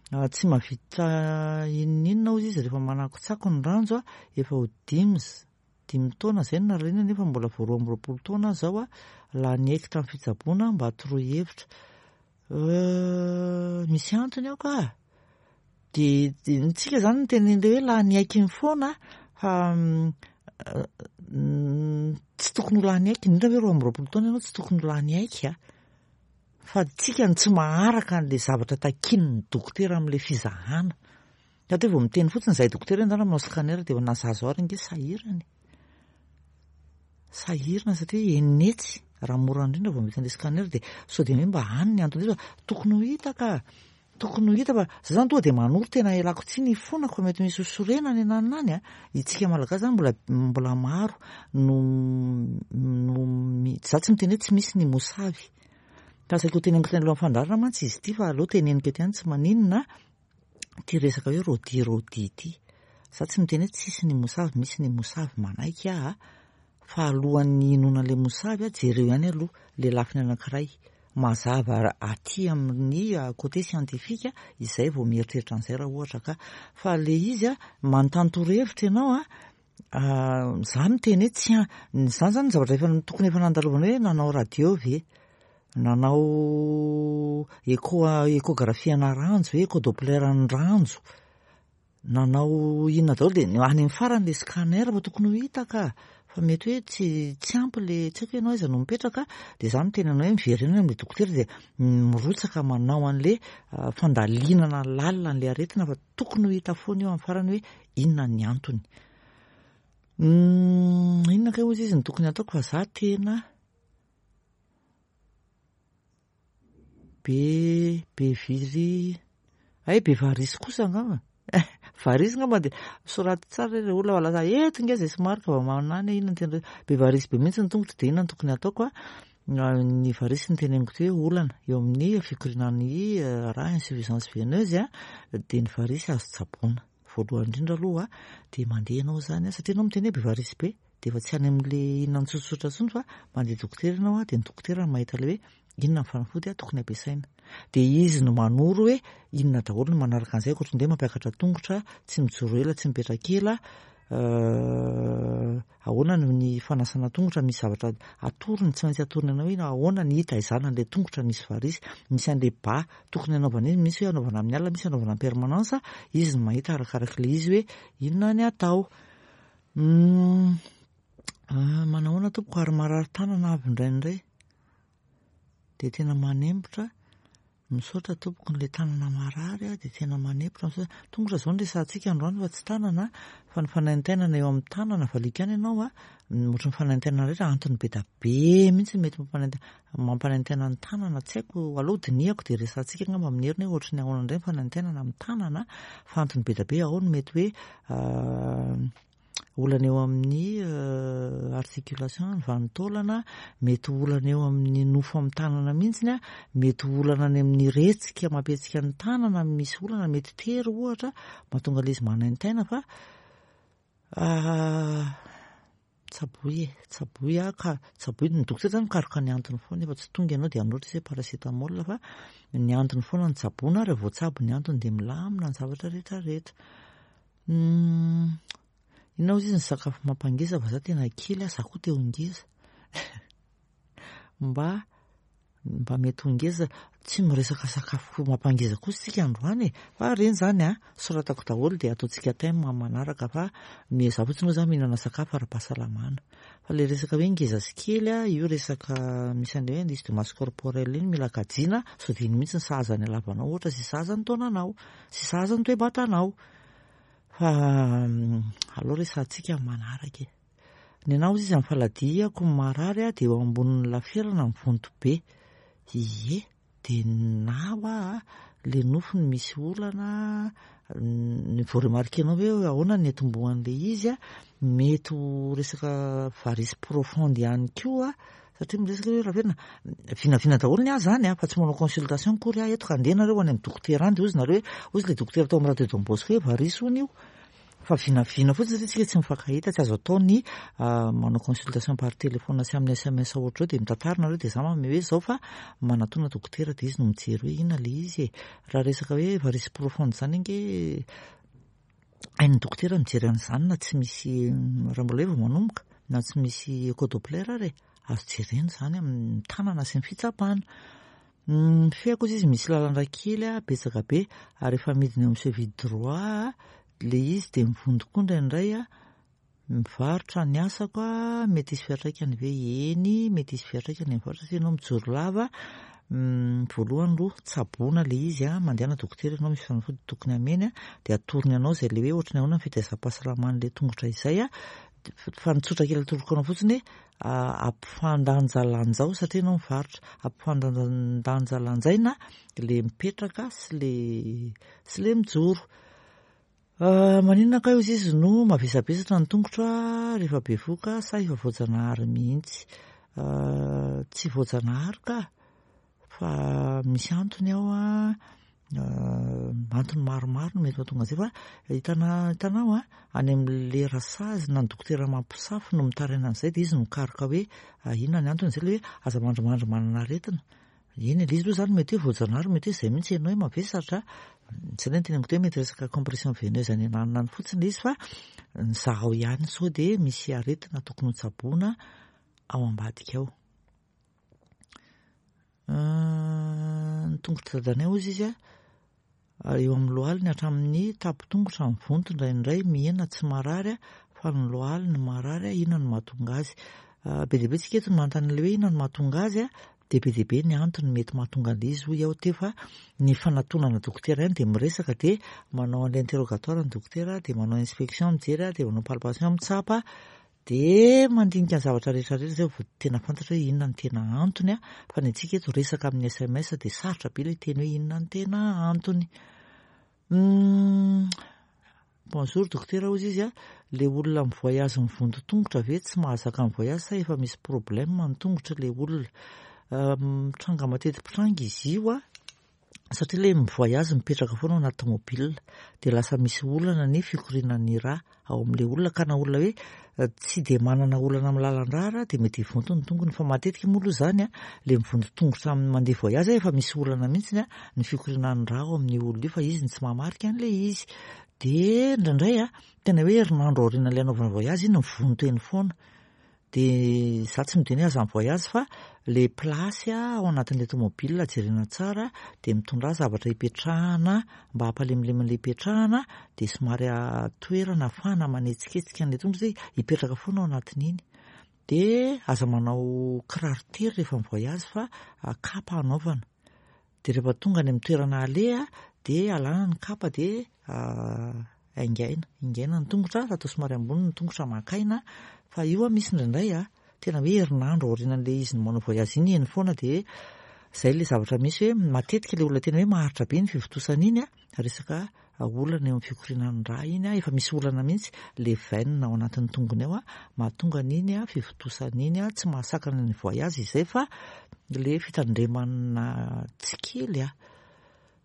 tsy mahavita inon'inona hozy izy rehefa manakotsako ny ranjo, efa ho dimy dimy taona izay no narariana nefa mbola vao roa amby roapolo taona aho izao, lany aiky tamin'ny fitsaboana mba toroy hevitra. Misy antony ao ka. Dia tsika izany miteny an'ilay hoe lany aiky iny foana fa tsy tokony ho lany aiky, indrindra hoe roa amby roapolo taona ianao tsy tokony ho lany aiky a. Fa tsika no tsy maharaka an'ilay zavatra takian'ny dokotera amin'ilay fizahana. Satria vao miteny fotsiny izahay dokotera hoe ndana manao scanner dia na zaza ary ange sahirana e. Sahirana satria enina hetsy raha mora indrindra vao mety an'ilay scanner dia sao dia hoe mba any ny antony fa tokony ho hita ka. Tokony ho hita fa za zany tonga dia manoro tena ialako tsiny ifonako fa mety misy hosorena any ananona any a. Itsika malagasy zany mbola mbola maro no no za tsy miteny hoe tsy misy ny mosavy. Fa saika ho teneniko teny alohan'ny fandaharana mantsy izy ity fa aleo teneniko eto ihany tsy maninona ity resaka hoe rodi rodi ity. Za tsy miteny hoe tsisy ny mosavy, misy ny mosavy manaiky aho fa alohan'ny hinoana ilay mosavy a, jereo ihany aloha ilay lafiny anankiray mazava aty amin'ny côté scientifique izay vao mieritreritra an'izay raha ohatra ka. Fa ilay izy a, manontany torohevitra ianao a, za miteny hoe tsy zany zany ny zavatra efa tokony efa nandalovana hoe nanao radio ve, nanao écho échographie ana ranjo ve, écho doppler ny ranjo, nanao inona daholo dia any amin'ny farany ilay scanner fa tokony ho hita ka. Fa mety hoe tsy tsy ampy le tsy haiko ianao aiza no mipetraka dia za miteny anao hoe miverena amin'ilay dokotera dia mirotsaka manao an'ilay fandalinana lalina an'ilay aretina fa tokony ho hita foana io amin'ny farany hoe inona ny antony. Inona kay hozy izy no tokony ataoko fa za tena be be viry ay be varisy kosa angamba. Varisy angamba dia soraty tsara ireo olona fa lasa eto nge izay somary ka vao manana inona no tena be varisy be mihitsy ny tongotro dia inona no tokony ataoko a. Ny varisy no teneniko teo hoe olana eo amin'ny fikorianan'ny rà, insuffisance veineuse a, dia ny varisy azo tsaboina. Voalohany indrindra aloha dia mandeha ianao izany satria ianao miteny hoe be varisy be dia efa tsy any amin'ilay inona tsotsotra intsony fa mandeha dokotera ianao dia ny dokotera no mahita ilay hoe inona ny fanafody tokony ampiasaina. Dia izy no manoro hoe inona daholo no manaraka an'izay ankoatra ny hoe mampiakatra tongotra, tsy mijoro ela, tsy mipetraka ela, ahoana ny fanasana tongotra, misy zavatra atorony, tsy maintsy atorony anao hoe ahoana ny hitaizana an'ilay tongotra misy varisy, misy an'ilay ba tokony hanaovana izy, misy hoe hanaovana amin'ny alina, misy hanaovana en permanence, izy no mahita arakarak'ilay izy hoe inona ny atao. Manahoana tompoko ary marary tanana avy indraindray dia tena manempotra, misaotra tompoko n'ilay tanana marary dia tena manempotra, misaotra. Tongotra izao no resahantsika androany fa tsy tanana fa ny fanaintainana eo amin'ny tanana valiako ihany ianao a, ohatry ny fanaintainana rehetra antony be da be mihitsy mety mampanaintaina mampanaintaina ny tanana, tsy haiko aloha dinihako dia resahantsika angamba amin'ny heriny hoe ohatry ny ahoana indray ny fanaintainana amin'ny tanana fa antony be da be ao no mety hoe olana eo amin'ny articulation, ny vanin-taolana, mety olana eo amin'ny nofo amin'ny tanana mihitsy, mety olana any amin'ny retsika mampihetsika ny tanana, misy olana mety tery ohatra mahatonga ilay izy manaintaina fa tsaboy e, tsaboy aho ka, tsaboy ny dokotera zany mikaroka ny antony foana nefa tsy tonga ianao dia hanoratra izy hoe paracétamol fa ny antony foana no tsaboina, raha voatsabo ny antony dia milamina ny zavatra rehetra rehetra. Inona hozy izy ny sakafo mampangeza fa za tena kely aho, za koa te ho ngeza. Mba mba mety ho ngeza, tsy miresaka sakafo mampangeza kosa isika androany e. Fa ireny izany a, soratako daholo dia ataontsika thème manaraka fa miezaka fotsiny moa za mihinana sakafo ara-pahasalamana. Fa ilay resaka hoe ngeza sy kely a, io resaka misy an'ilay hoe indice de masse corporelle iny mila kajiana, sao dia iny mihitsy ny sahaza ny halavanao ohatra sy sahaza ny taonanao, sy sahaza ny toe-batanao. Fa aleo resahantsika manaraka e. Ny anahy hozy izy amin'ny faladiako marary a, dia eo ambonin'ny laferana mivonto be. Ie, dia na hoa le nofo no misy olana, ny vao remarquenao hoe ahoana ny atombohan'le izy a, mety ho resaka varice profonde ihany koa, satria miresaka hoe raha velona vinavina daholo ny ahy zany a, fa tsy manao consultation akory aho eto ka andeha nareo any amin'ny dokotera any de hozy nareo hoe hozy le dokotera tao amin'ny radio Don Bosco hoe varice hono io, fa vinavina fotsiny satria tsika tsy mifankahita, tsy azo atao ny manao consultation par téléphone sy amin'ny S M S ohatra eo de mitantara nareo de za manome hoe zao fa manatona dokotera de izy no mijery hoe inona le izy e. Raha resaka hoe varice profonde zany ange hain'ny dokotera mijery an'izany na tsy misy, raha mbola hoe vao manomboka na tsy misy écho-doppler ary e, azo jerena izany amin'ny tanana sy ny fitsapana. Ny feako izy misy lalandra kely a, betsaka be, ary efa midina eo amin'ny cheville droit le izy de mivonto koa indraindray a, mivarotra ny asako a, mety hisy fiantraikany ve? Eny, mety hisy fiantraikany mivarotra satria ianao mijoro lava. Voalohany aloha tsaboina le izy a, mandehana dokotera ianao misy fanafody tokony hameny a, de atorony anao izay le hoe ohatry ny ahoana ny fitaizam-pahasalaman'le tongotra izay a, fa ny tsotra kely atoroko anao fotsiny hoe ampifandanjalanjao satria ianao mivarotra, ampifandanjalanjaina le mipetraka sy le sy le mijoro. Maninona kay hozy izy no mavesabesatra ny tongotra rehefa bevoka sa efa voajanahary mihitsy? Tsy voajanahary ka, fa misy antony ao a, antony maromaro no mety mahatonga an'izay fa hitana hitanao a, any amin'le rasazy na ny dokotera mampisafo no mitaraina an'izay de izy no mikaroka hoe inona ny antony izay le hoe aza mandrimandry manana aretina. Eny, le izy aloha zany mety hoe voajanahary, mety hoe izay mihitsy ianao hoe mavesatra, tsy ilay teneniko teo hoe mety resaka compression veineuse any ananona any fotsiny le izy fa ny zahao ihany sao de misy aretina tokony hotsaboina ao ambadika ao. Ny tongotra dadanay hozy izy a, eo amin'ny lohaliny hatramin'ny tapo-tongotra mivonto indraindray mihena tsy marary a, fa ny lohaliny marary a, inona no mahatonga azy? Be dia be tsika eto no manontany an'ilay hoe inona no mahatonga azy a, de be dia be ny antony mety mahatonga an'ilay izy hoy aho teo fa ny fanatonana dokotera ihany de miresaka de manao an'ilay interrogatoire ny dokotera, de manao inspection mijery a, de manao palpation mitsapa, de mandinika ny zavatra rehetra rehetra zay vao tena fantatra hoe inona ny tena antony a, fa ny antsika eto resaka amin'ny S M S de sarotra be ilay teny hoe inona ny tena antony. Bonjour dokotera hozy izy a, le olona mivoyage mivonto tongotra ve tsy mahazaka mivoyage sa efa misy problème ny tongotra le olona? Mitranga mateti-pitranga izy io a, satria le mivoyage mipetraka foana ao anaty tomobile de lasa misy olana ny fikorianan'ny rà ao amin'le olona, ka na olona hoe tsy de manana olana amin'ny lalan-drà ara de mety hivonto ny tongony, fa matetika moa aloha zany a, le mivonto tongotra amin'ny mandeha voyage efa misy olana mihitsy a ny fikorianan'ny rà ao amin'io olona io, fa izy no tsy mahamarika an'le izy. De indraindray a, tena hoe herinandro aorianan'ilay anaovana voyage iny mivonto eny foana. De za tsy miteny hoe aza mivoyage fa le place a ao anatin'le tomobile jerena tsara, de mitondra zavatra hipetrahana mba hampalemilemy an'le hipetrahana, de somary toerana ahafahana manetsiketsika an'le tongotra satria hipetraka foana ao anatin'iny. De aza manao kiraro tery rehefa mivoyage fa kapa anaovana. De rehefa tonga any amin'ny toerana aleha de alana ny kapa de aingaina, ingaina ny tongotra, fa atao somary ambony ny tongotra maka aina, fa io a misy indraindray a, tena hoe herinandro aorianan'le izy manao voyage iny eny foana, de zay le zavatra misy hoe matetika le olona tena hoe maharitra be ny fivontosana iny a, resaka olana eo amin'ny fikorianan'ny rà iny a, efa misy olana mihitsy le veine ao anatin'ny tongony ao a, mahatonga an'iny a fivontosana iny a, tsy mahasakana ny voyage izay fa le fitandremana tsy kely a,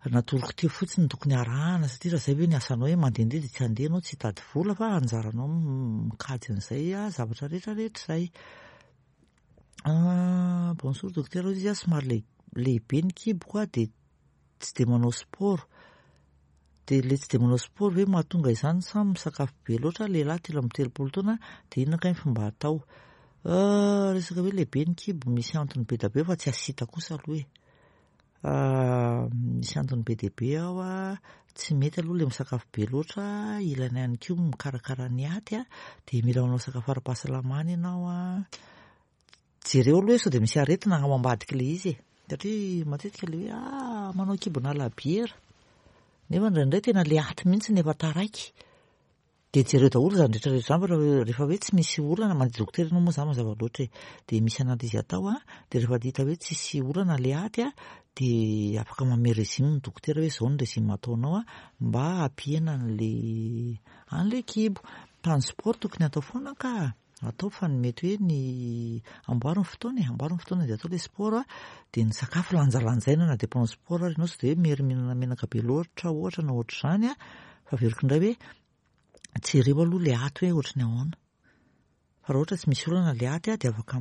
natoroko teo fotsiny tokony arahana, satria raha zay hoe ny asanao hoe mandehandeha de tsy handeha ianao, tsy hitady vola fa anjaranao mikajy an'izay a zavatra rehetrarehetra izay. Bonjour docteur, hoy izy a, somary le- lehibe ny kiboko a, de tsy de manao sport. De le tsy de manao sport ve mahatonga izany sa misakafo be loatra? Lehilahy telo amby telopolo taona, de inona kay ny fomba atao? Resaka hoe lehibe ny kibo, misy antony be dia be fa tsy asita kosa aloha e. Misy antony be dia be ao a, tsy mety aloha le misakafo be loatra, ilaina ihany koa mikarakara ny aty a, de mila manao sakafo ara-pahasalamana ianao a. Jereo aloha hoe sao de misy aretina ao ambadik'ilay izy e, satria matetika le hoe ah manao kibona labiera, nefa indraindray tena le aty mihitsy no efa taraiky. De jereo daholo izany rehetrarehetra izany fa rehefa hoe tsy misy olana, mandeha dokotera ianao moa izany mazava loatra e, de misy analyse atao a, de rehefa hita hoe tsisy olana le aty a, Dia afaka manome régime ny dokotera hoe izao ny régime ataonao a mba hampihena an'le an'le kibo. Fa ny sport tokony atao foana ka, atao fa ny mety hoe ny amboary ny fotoana e, amboary ny fotoana dia atao ilay sport a, dia ny sakafo lanjalanjaina na dia mpanao sport ary ianao, tsy dia hoe mery mihinana menaka be loatra ohatra na ohatr'izany a, fa averiko indray hoe jereo aloha ilay aty hoe ohatry ny ahoana. Fa raha ohatra tsy misy olana ilay aty a, dia afaka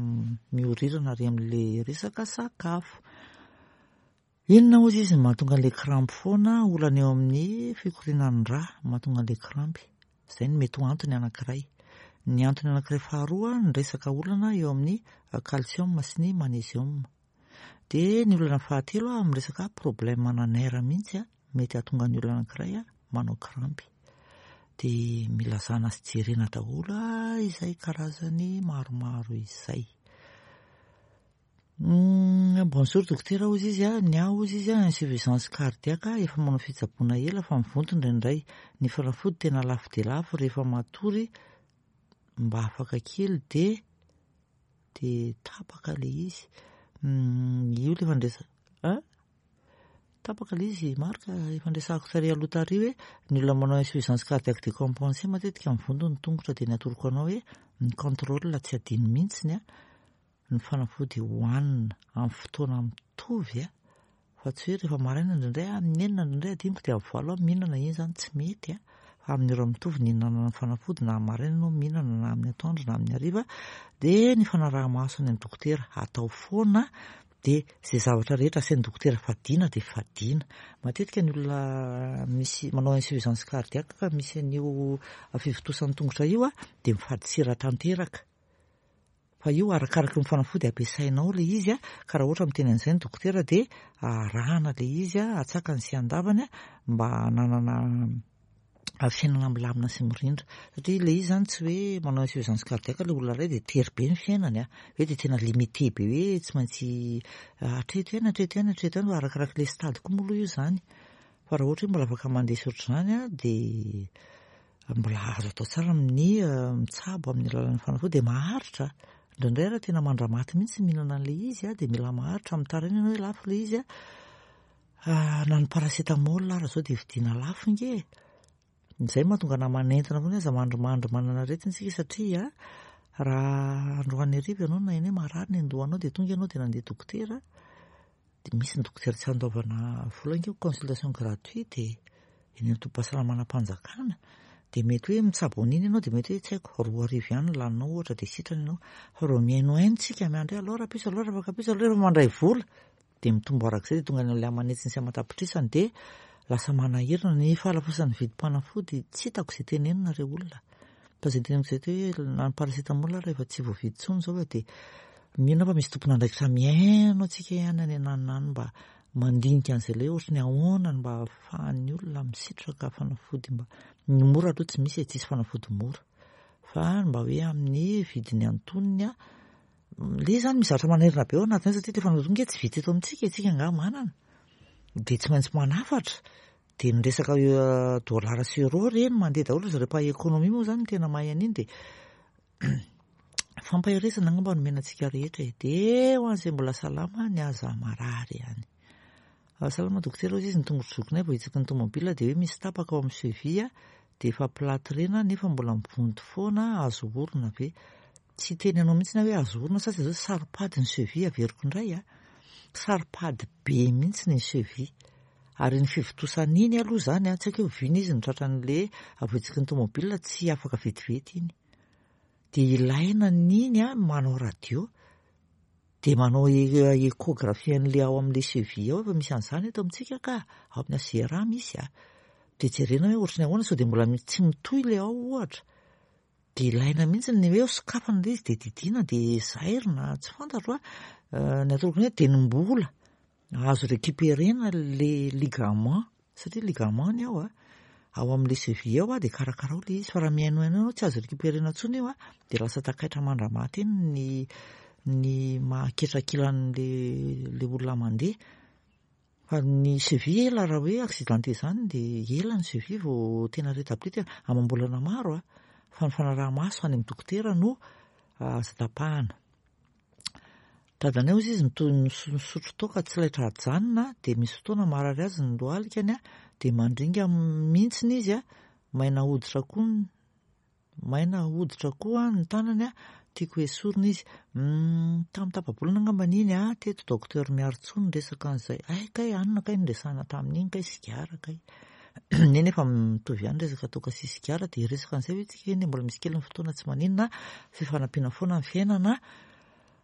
miorirana ary amin'ilay resaka sakafo. Inona hozy izy no mahatonga an'ilay krampy foana? Olana eo amin'ny fikorianan'ny rà mahatonga an'ilay krampy. Izay no mety ho antony anankiray. Ny antony anankiray faharoa, ny resaka olana eo amin'ny calcium sy ny magnésium. Dia ny olana fahatelo amin'ny resaka problème ana nerf mihitsy a, mety hahatonga ny olona anankiray a manao krampy. Dia mila zahana sy jerena daholo a izay karazany maromaro izay. Bonjour dokotera hozy izy a, ny ahy hozy izy a insuffisance cardiaque, efa manao fitsaboana ela fa mivonto indraindray. Ny fanafody tena lafo dia lafo, rehefa matory mba afaka kely de de tapaka le izy. Io le fandraisa a tapaka le izy marika efa ndresahako tary aloha tary hoe ny olona manao insuffisance cardiaque décompensée matetika mivonto ny tongotra. Dia ny atoroko anao hoe ny contrôle tsy adino mihitsiny a, ny fanafody hohanina amin'ny fotoana mitovy a, fa tsy hoe rehefa maraina indraindray amin'ny enina, indraindray adinoko dia amin'ny valo aho mihinana, iny zany tsy mety a, fa amin'ny ora mitovy ny hihinanana ny fanafody, na maraina anao mihinana na amin'ny atoandro na amin'ny hariva. Dia ny fanaraha-maso any amin'ny dokotera atao foana, dia izay zavatra rehetra asain'ny dokotera fadiana dia fadiana. Matetika ny olona misy manao insuffisance cardiaque ka misy an'io fivontosan'ny tongotra io a, dia mifady sira tanteraka. Fa io arakaraky ny fanafody ampiasainao ilay izy a, ka raha ohatra miteny an'izay ny dokotera dia arahana ilay izy a, atsakany sy andavany a, mba hananana fiainana milamina sy mirindra. Satria ilay izy zany tsy hoe manao insuffisance cardiaque ilay olona iray dia tery be ny fiainany a, hoe dia tena limité be hoe tsy maintsy hatreto ihany, hatreto ihany, hatreto ihany, fa arakaraky ilay stade koa moa aloha io zany. Fa raha ohatra hoe mbola afaka mandeha sy ohatr'izany a, dia mbola azo atao tsara amin'ny mitsabo amin'ny alalan'ny fanafody, dia maharitra. Indraindray raha tena mandramaty mihitsy mihinana an'ilay izy a, dia mila maharitra. Mitaraina ianao hoe lafo ilay izy a, na ny paracétamol ary zao dia vidiana lafo nge. Izay mahatonga anahy manentana foana hoe aza mandrimandry manana aretina isika, satria raha androany hariva ianao naheno hoe marary ny andohanao, dia tonga ianao dia nandeha dokotera, dia misy ny dokotera tsy andoavana vola nge, consultation gratuite eny amin'ny tobim-pahasalamana-mpanjakana, dia mety hoe mitsabo an'iny ianao, dia mety hoe tsy haiko roa arivo ihany ny laninao ohatra, dia sitrana ianao. Fa raha mihainohaino tsika miandry hoe alao rahampitso, alao rafakampitso, alao rehefa mandray vola, dia mitombo arak'izay, dia tonga any amin'ilay aman'hetsiny sy aman-tapitrisany, dia lasa manahirana ny fahalafosan'ny vidim-panafody. Tsy hitako izay tenenina re olona, fa izay teneniko izay hoe na ny paracétamol rehefa tsy voavidy intsony izao fa dia mino aho fa misy tompon'andraikitra mihaino antsika ihany any ananona any mba mandinika an'izay ilay ohatry ny ahoana no mba ahafahan'ny olona misitraka fanafody. Mba ny mora aloha tsy misy e, tsisy fanafody mora, fa mba hoe amin'ny vidiny antonony a. Le zany misy zavatra manahirana be ao anatin'izay, satria ilay fanafody nge tsy vita eto amintsika, isika angaha manana, dia tsy maintsy manafatra. Dia ny resaka dollara sy euro reny mandeha daholo, zareo mpahay économie moa zany tena mahay an'iny, dia fampaherezana angamba nomena antsika rehetra e. Dia ho an'izay mbola salama, ny aza marary ihany. Salama dokotera hozy izy, ny tongotro zokinay vao hitsiky ny tomobila dia hoe misy tapaka ao amin'ny cheville, dia efa plâtrena nefa mbola mivonto foana, azo orona ve? Tsy hiteny anao mihitsy na hoe azo orona sa tsy azo, saro-pady ny cheville, averiko indray a, saro-pady be mihitsy ny cheville. Ary ny fivontosana iny aloha zany a, tsy haiko hoe oviana izy no tratran'le voatsiky ny tomobila, tsy afaka vetivety iny. Dia ilaina n'iny a manao radio, dia manao échographie an'le ao amin'le cheville ao, efa misy an'izany eto amintsika ka, ao amin'ny H G R A misy a. Dia jerena hoe ohatry ny ahoana, sao dia mbola tsy mitohy le ao ohatra. Dia ilaina mihitsy ny hoe sokafana ilay izy dia didiana dia zairina, tsy fantatro a. Ny atoroko ny hoe dia ny mbola azo récupérena le ligament, satria ligament ny ao a, ao amin'le cheville ao a, dia karakarao le izy, fa raha mihainohaino ianao tsy azo récupérena intsony io a, dia lasa takaitra mandramaty eny ny ny mahaketrakilan'le le olona mandeha. Fa ny cheville ela, raha hoe accidenté zany dia ela ny cheville vao tena rétabli, tena amam-bolana maro a, fa ny fanaraha-maso any amin'ny dokotera no azo tapahana. Dadanay hozy izy mito- misotro toaka tsy laitra ajanona, dia misy fotoana marary azy ny lohalikany a, dia mandringa mihitsiny izy a, maina hoditra koa maina hoditra koa ny tanany a, tiako esorina izy. Tamin'ny tapa-bolana angambany iny a, teto docteur Miarintsoa niresaka an'izay. Ay kay anona kay niresahana tamin'iny kay sigara kay. Eny efa mitovy ihany resaka toaka sy sigara, dia hiresaka an'izay ve tsika? Eny mbola misy kely ny fotoana, tsy maninona, fifanampiana foana ny fiainana.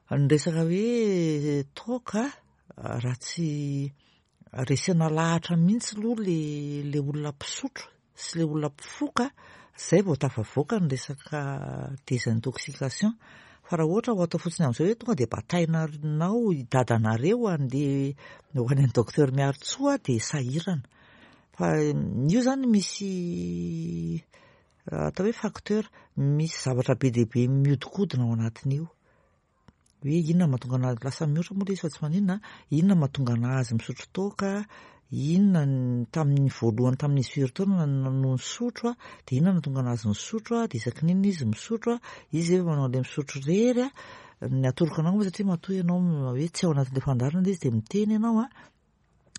Ny resaka hoe toaka, raha tsy resena lahatra mihitsy aloha le le olona mpisotro sy le olona mpifoka, zay vao tafavoaka ny resaka désintoxication. Fa raha ohatra ho atao fotsiny amin'izao hoe tonga dia batainao i dadanareo andeha ho any amin'ny docteur Miarintsoa, dia sahirana. Fa io zany misy atao hoe facteur, misy zavatra be dia be miodikodina ao anatin'io. Hoe inona mahatonga anazy lasa mihoatra moa ilay izy fa tsy maninona, inona mahatonga anazy misotro toaka, inona tamin'ny voalohany tamin'izy firy taona no nisotro, dia inona nahatonga anazy nisotro, dia isaky ny inona izy misotro, izy efa manao an'ilay misotro irery a. Ny atoroko anao moa satria matoa ianao hoe tsy ao anatin'ilay fandaharana ilay izy dia miteny ianao a,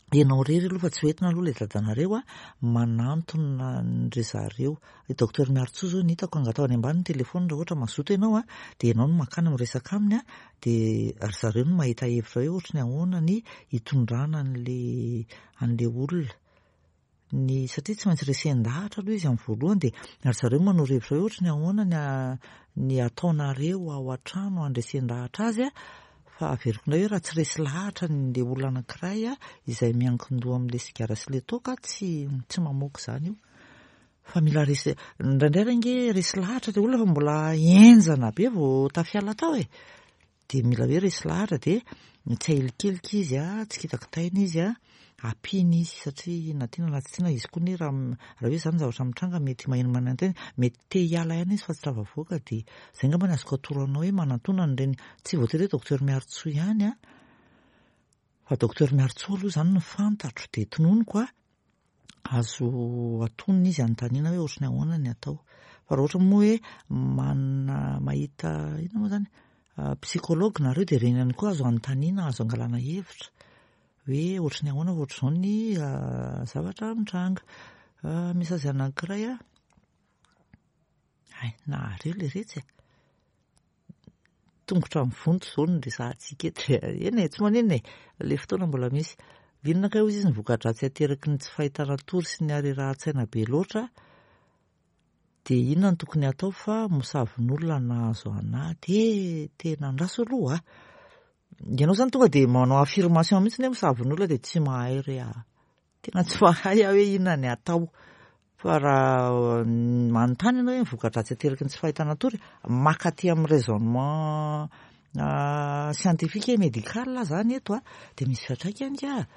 ianao irery aloha fa tsy hoentina aloha ilay dadanareo a, manantona an-dry zareo. I docteur Miarintsoa izao no hitako, angatao any ambany ny telefona raha ohatra mazoto ianao a, dia ianao no mankany miresaka aminy a, dia ry zareo no mahita hevitra hoe ohatry ny ahoana ny hitondrana an'le an'le olona. Ny satria tsy maintsy resen-dahatra aloha izy amin'ny voalohany, dia ry zareo manoro hevitra hoe ohatry ny ahoana ny ny ataonareo ao an-trano handresen-dahatra azy a. Fa averiko indray hoe raha tsy resy lahatra ny olona anankiray a, izay miankin-doha amin'ilay sigara sy ilay toaka, tsy tsy mamoaka izany io. Fa mila resy, indraindray ange resy lahatra ilay olona fa mbola henjana be vao tafiala tao e. Dia mila hoe resy lahatra, dia tsy ahilikilika izy a, tsy kitakitaina izy a, ampiana izy satria na tiana na tsy tiana izy koa anie raha raha hoe izany zavatra mitranga mety maheno manantena, mety te hiala ihany izy fa tsy tafavoaka. Dia izay angamba ny azoko atoro anao hoe manantona an'ireny, tsy voatery hoe docteur Miarintsoa ihany a, fa docteur Miarintsoa aloha izany no fantatro, dia tononiko a, azo atonina izy anontaniana hoe ohatry ny ahoana ny atao. Fa raha ohatra moa hoe manana mahita inona moa izany psychologue nareo, dia ireny ihany koa azo anontaniana, azo angalana hevitra hoe ohatry ny ahoana ohatr'izao ny zavatra mitranga. Misy azy anankiray a, ay nahareo ilay retsy e, tongotra mivonto izao no resahantsika eto. Eny e, tsy maninona e, ilay fotoana mbola misy. Inona kay hozy izy ny voka-dratsy ateraky ny tsy fahitana tory sy ny harerahan-tsaina be loatra, dia inona no tokony atao fa mosavin'olona nahazo anahy? Dia tena andraso aloha a. Ianao izany tonga dia manao affirmation mihitsy hoe mosavin'olona, dia tsy mahay re aho. Tena tsy mahay aho hoe inona ny atao. Fa raha manontany ianao hoe ny voka-dratsy ateraky ny tsy fahitana tory, maka aty amin'ny raisonnement scientifique et médical zany eto a, dia misy fiantraikany ka.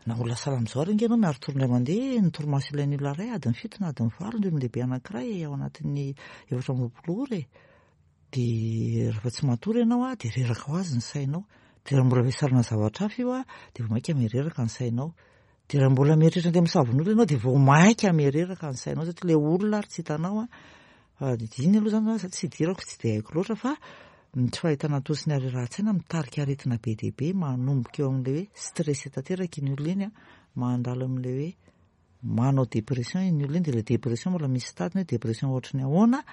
Na olona salama izao ary ange ianao miari-tory indray mandeha, ny torimaso ilain'ny olona iray adiny fito na adiny valo ny olon-dehibe anankiray ao anatin'ny efatra amby roapolo ora e. Dia rehefa tsy matory ianao a, dia reraka ho azy ny sainao. Dia raha mbola vesarana zavatra hafa io a, dia vao mainka miha-reraka ny sainao. Dia raha mbola mieritreritra andeha misavin'olona ianao, dia vao mainka miha-reraka ny sainao satria ilay olona ary tsy hitanao a. Fa iny aloha izany tsy idirako, tsy dia haiko loatra, fa ny tsy fahitana tory sy ny harerahan-tsaina mitarika aretina be dia be, manomboka eo amin'ilay hoe stress tanteraka iny olona iny a, mandalo amin'ilay hoe manao dépression iny olona iny, dia ilay dépression mbola misy stade hoe dépression ohatry ny ahoana,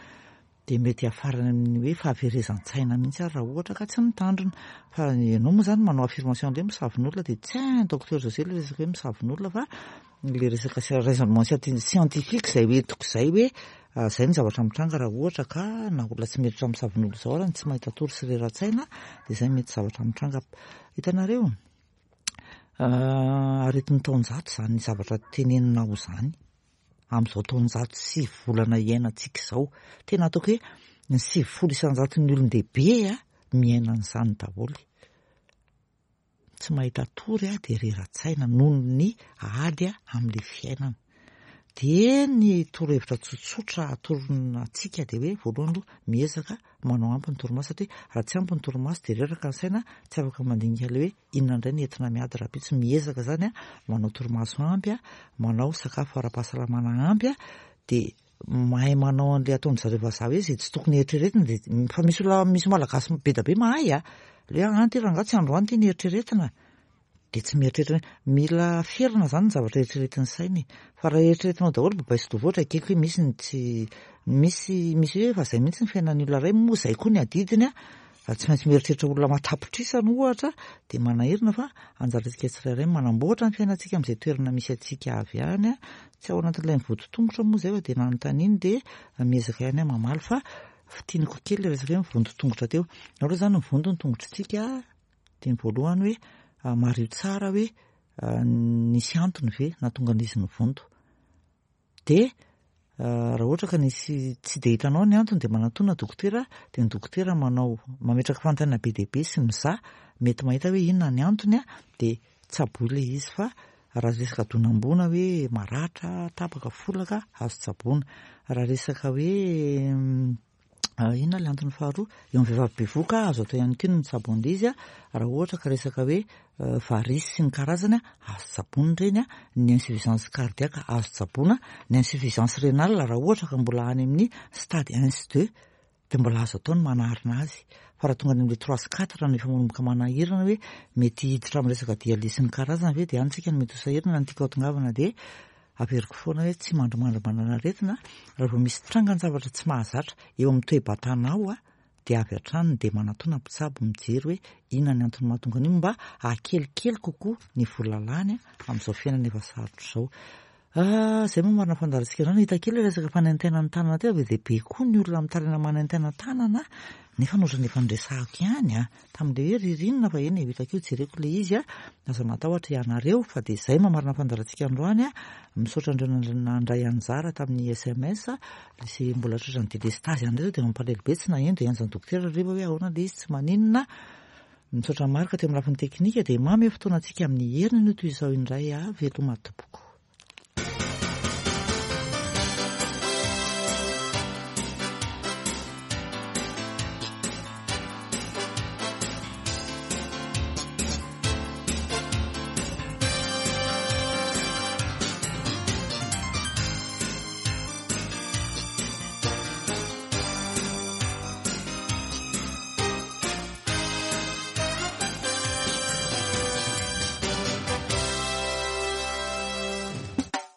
dia mety hiafarany amin'ny hoe fahaverezan-tsaina mihitsy ary raha ohatra ka tsy mitandrina. Fa ianao moa izany manao affirmation an'ilay misavin'olona, dia tsy hain docteur José ilay resaka hoe misavin'olona, fa ilay resaka raisonnement scientifique izay hoentiko izay hoe izay ny zavatra mitranga raha ohatra ka na olona tsy mieritreritra misavin'olona izao ary ny tsy mahita tory sy rera-tsaina, dia izay mety zavatra mitranga. Hitanareo, aretin'ny taonjato izany zavatra teneninao izany. Amin'izao taonjato sy volana iainantsika izao, tena ataoko hoe ny sivifolo isan-jaton'ny olon-dehibe a miaina an'izany daholo. Tsy mahita tory a, dia rera-tsaina noho ny ady a amin'ilay fiainana. Dia ny torohevitra tsotsotra atorona antsika dia hoe voalohany aloha miezaka manao ampy ny torimaso, satria raha tsy ampy ny torimaso dia reraka ny saina, tsy afaka mandinika ilay hoe inona indray ny entina miady rahampitso. Miezaka izany a manao torimaso ampy a, manao sakafo ara-pahasalamana ampy a, dia mahay manao an'ilay ataon-dry zareo vazaha hoe izay tsy tokony eritreretina. Dia fa misy olona, misy malagasy be dia be mahay a, Le hoe an ty rangahy tsy androany ty ny eritreretina, de tsy mieritreritra. Mila ferana zany ny zavatra eritreretin'ny saina e. Fa raha eritreretinao daholo babay sy dovoatra, ekeko hoe misy ny tsy misy, misy hoe fa zay mihitsy ny fiainan'ny olona iray, moa zay koa ny adidiny a, tsy maintsy mieritreritra olona matapitrisany ohatra, de manahirana. Fa anjarantsika tsirairay manamboatra ny fiainantsika amin'izay toerana misy antsika avy any a. Tsy ao anatin'ilay mivonto tongotra moa zay fa de nanontaniany, de miezaka ihany aho mamaly, fa fintiniko kely le resaka hoe mivonto tongotra teo. Aloha zany mivonto ny tongotritsika, de ny voalohany hoe mario tsara hoe nisy antony ve nahatonga an'izy nivonto, de raha ohatra ka nisy tsy de hitanao ny antony, de manatona dokotera, de ny dokotera manao mametraka fanontaniana be dia be sy mizaha, mety mahita hoe inona ny antony a, de tsaboy le izy. Fa raha resaka donam-boana hoe maratra, tapaka, folaka, azo tsaboina. Raha resaka hoe inona le antony faharoa, eo amin'ny vehivavy bevoka, azo atao ihany koa ny mitsabo an'ilay izy a. Raha ohatra ka resaka hoe varices sy ny karazany a, azo tsaboina ireny a. Ny insuffisance cardiaque azo tsaboina, ny insuffisance rénale raha ohatra ka mbola any amin'ny stade un sy deux de mbola azo atao ny manarina azy, fa raha tonga any amin'le trois sy quatre no efa manomboka manahirana hoe mety hiditra amin'ny resaka dialyse sy ny karazany ve, de any tsika no mety ho sahirana. Ny tiako hahatongavana de averiko foana hoe tsy mandrimandry manana aretina. Raha vao misy trangan-javatra tsy mahazatra eo amin'ny toe-batanao a, de avy hatrany de manatona mpitsabo mijery hoe inona ny antony mahatonga an'io, mba hahakelikely kokoa ny vola lany amin'izao fiainana efa sarotra izao. Zay moa marina fandaharantsika zany. Hita kely resaka fanaintainana ny tanana teo, be dia be koa ny olona mitaraina manaintaina tanana, nefa notrany efa noresahako ihany a tamin'le hoe ririnina, fa eny e, hitako io, jereko le izy a. Aza matahotra ianareo. Fa de zay mamarina fandaharantsika androany a. Misaotra andreo nandray anjara tamin'ny S M S. Sy mbola tratra ny délestage ihany reto, de mampalahelo be tsy naheno, de hianjany dokotera rehefa hoe ahoana le izy, tsy maninona. Misaotra marika teo amin'ny lafiny teknika, de mamy fotoanantsika amin'ny heriny no toy izao indray a. Veloma tompoko.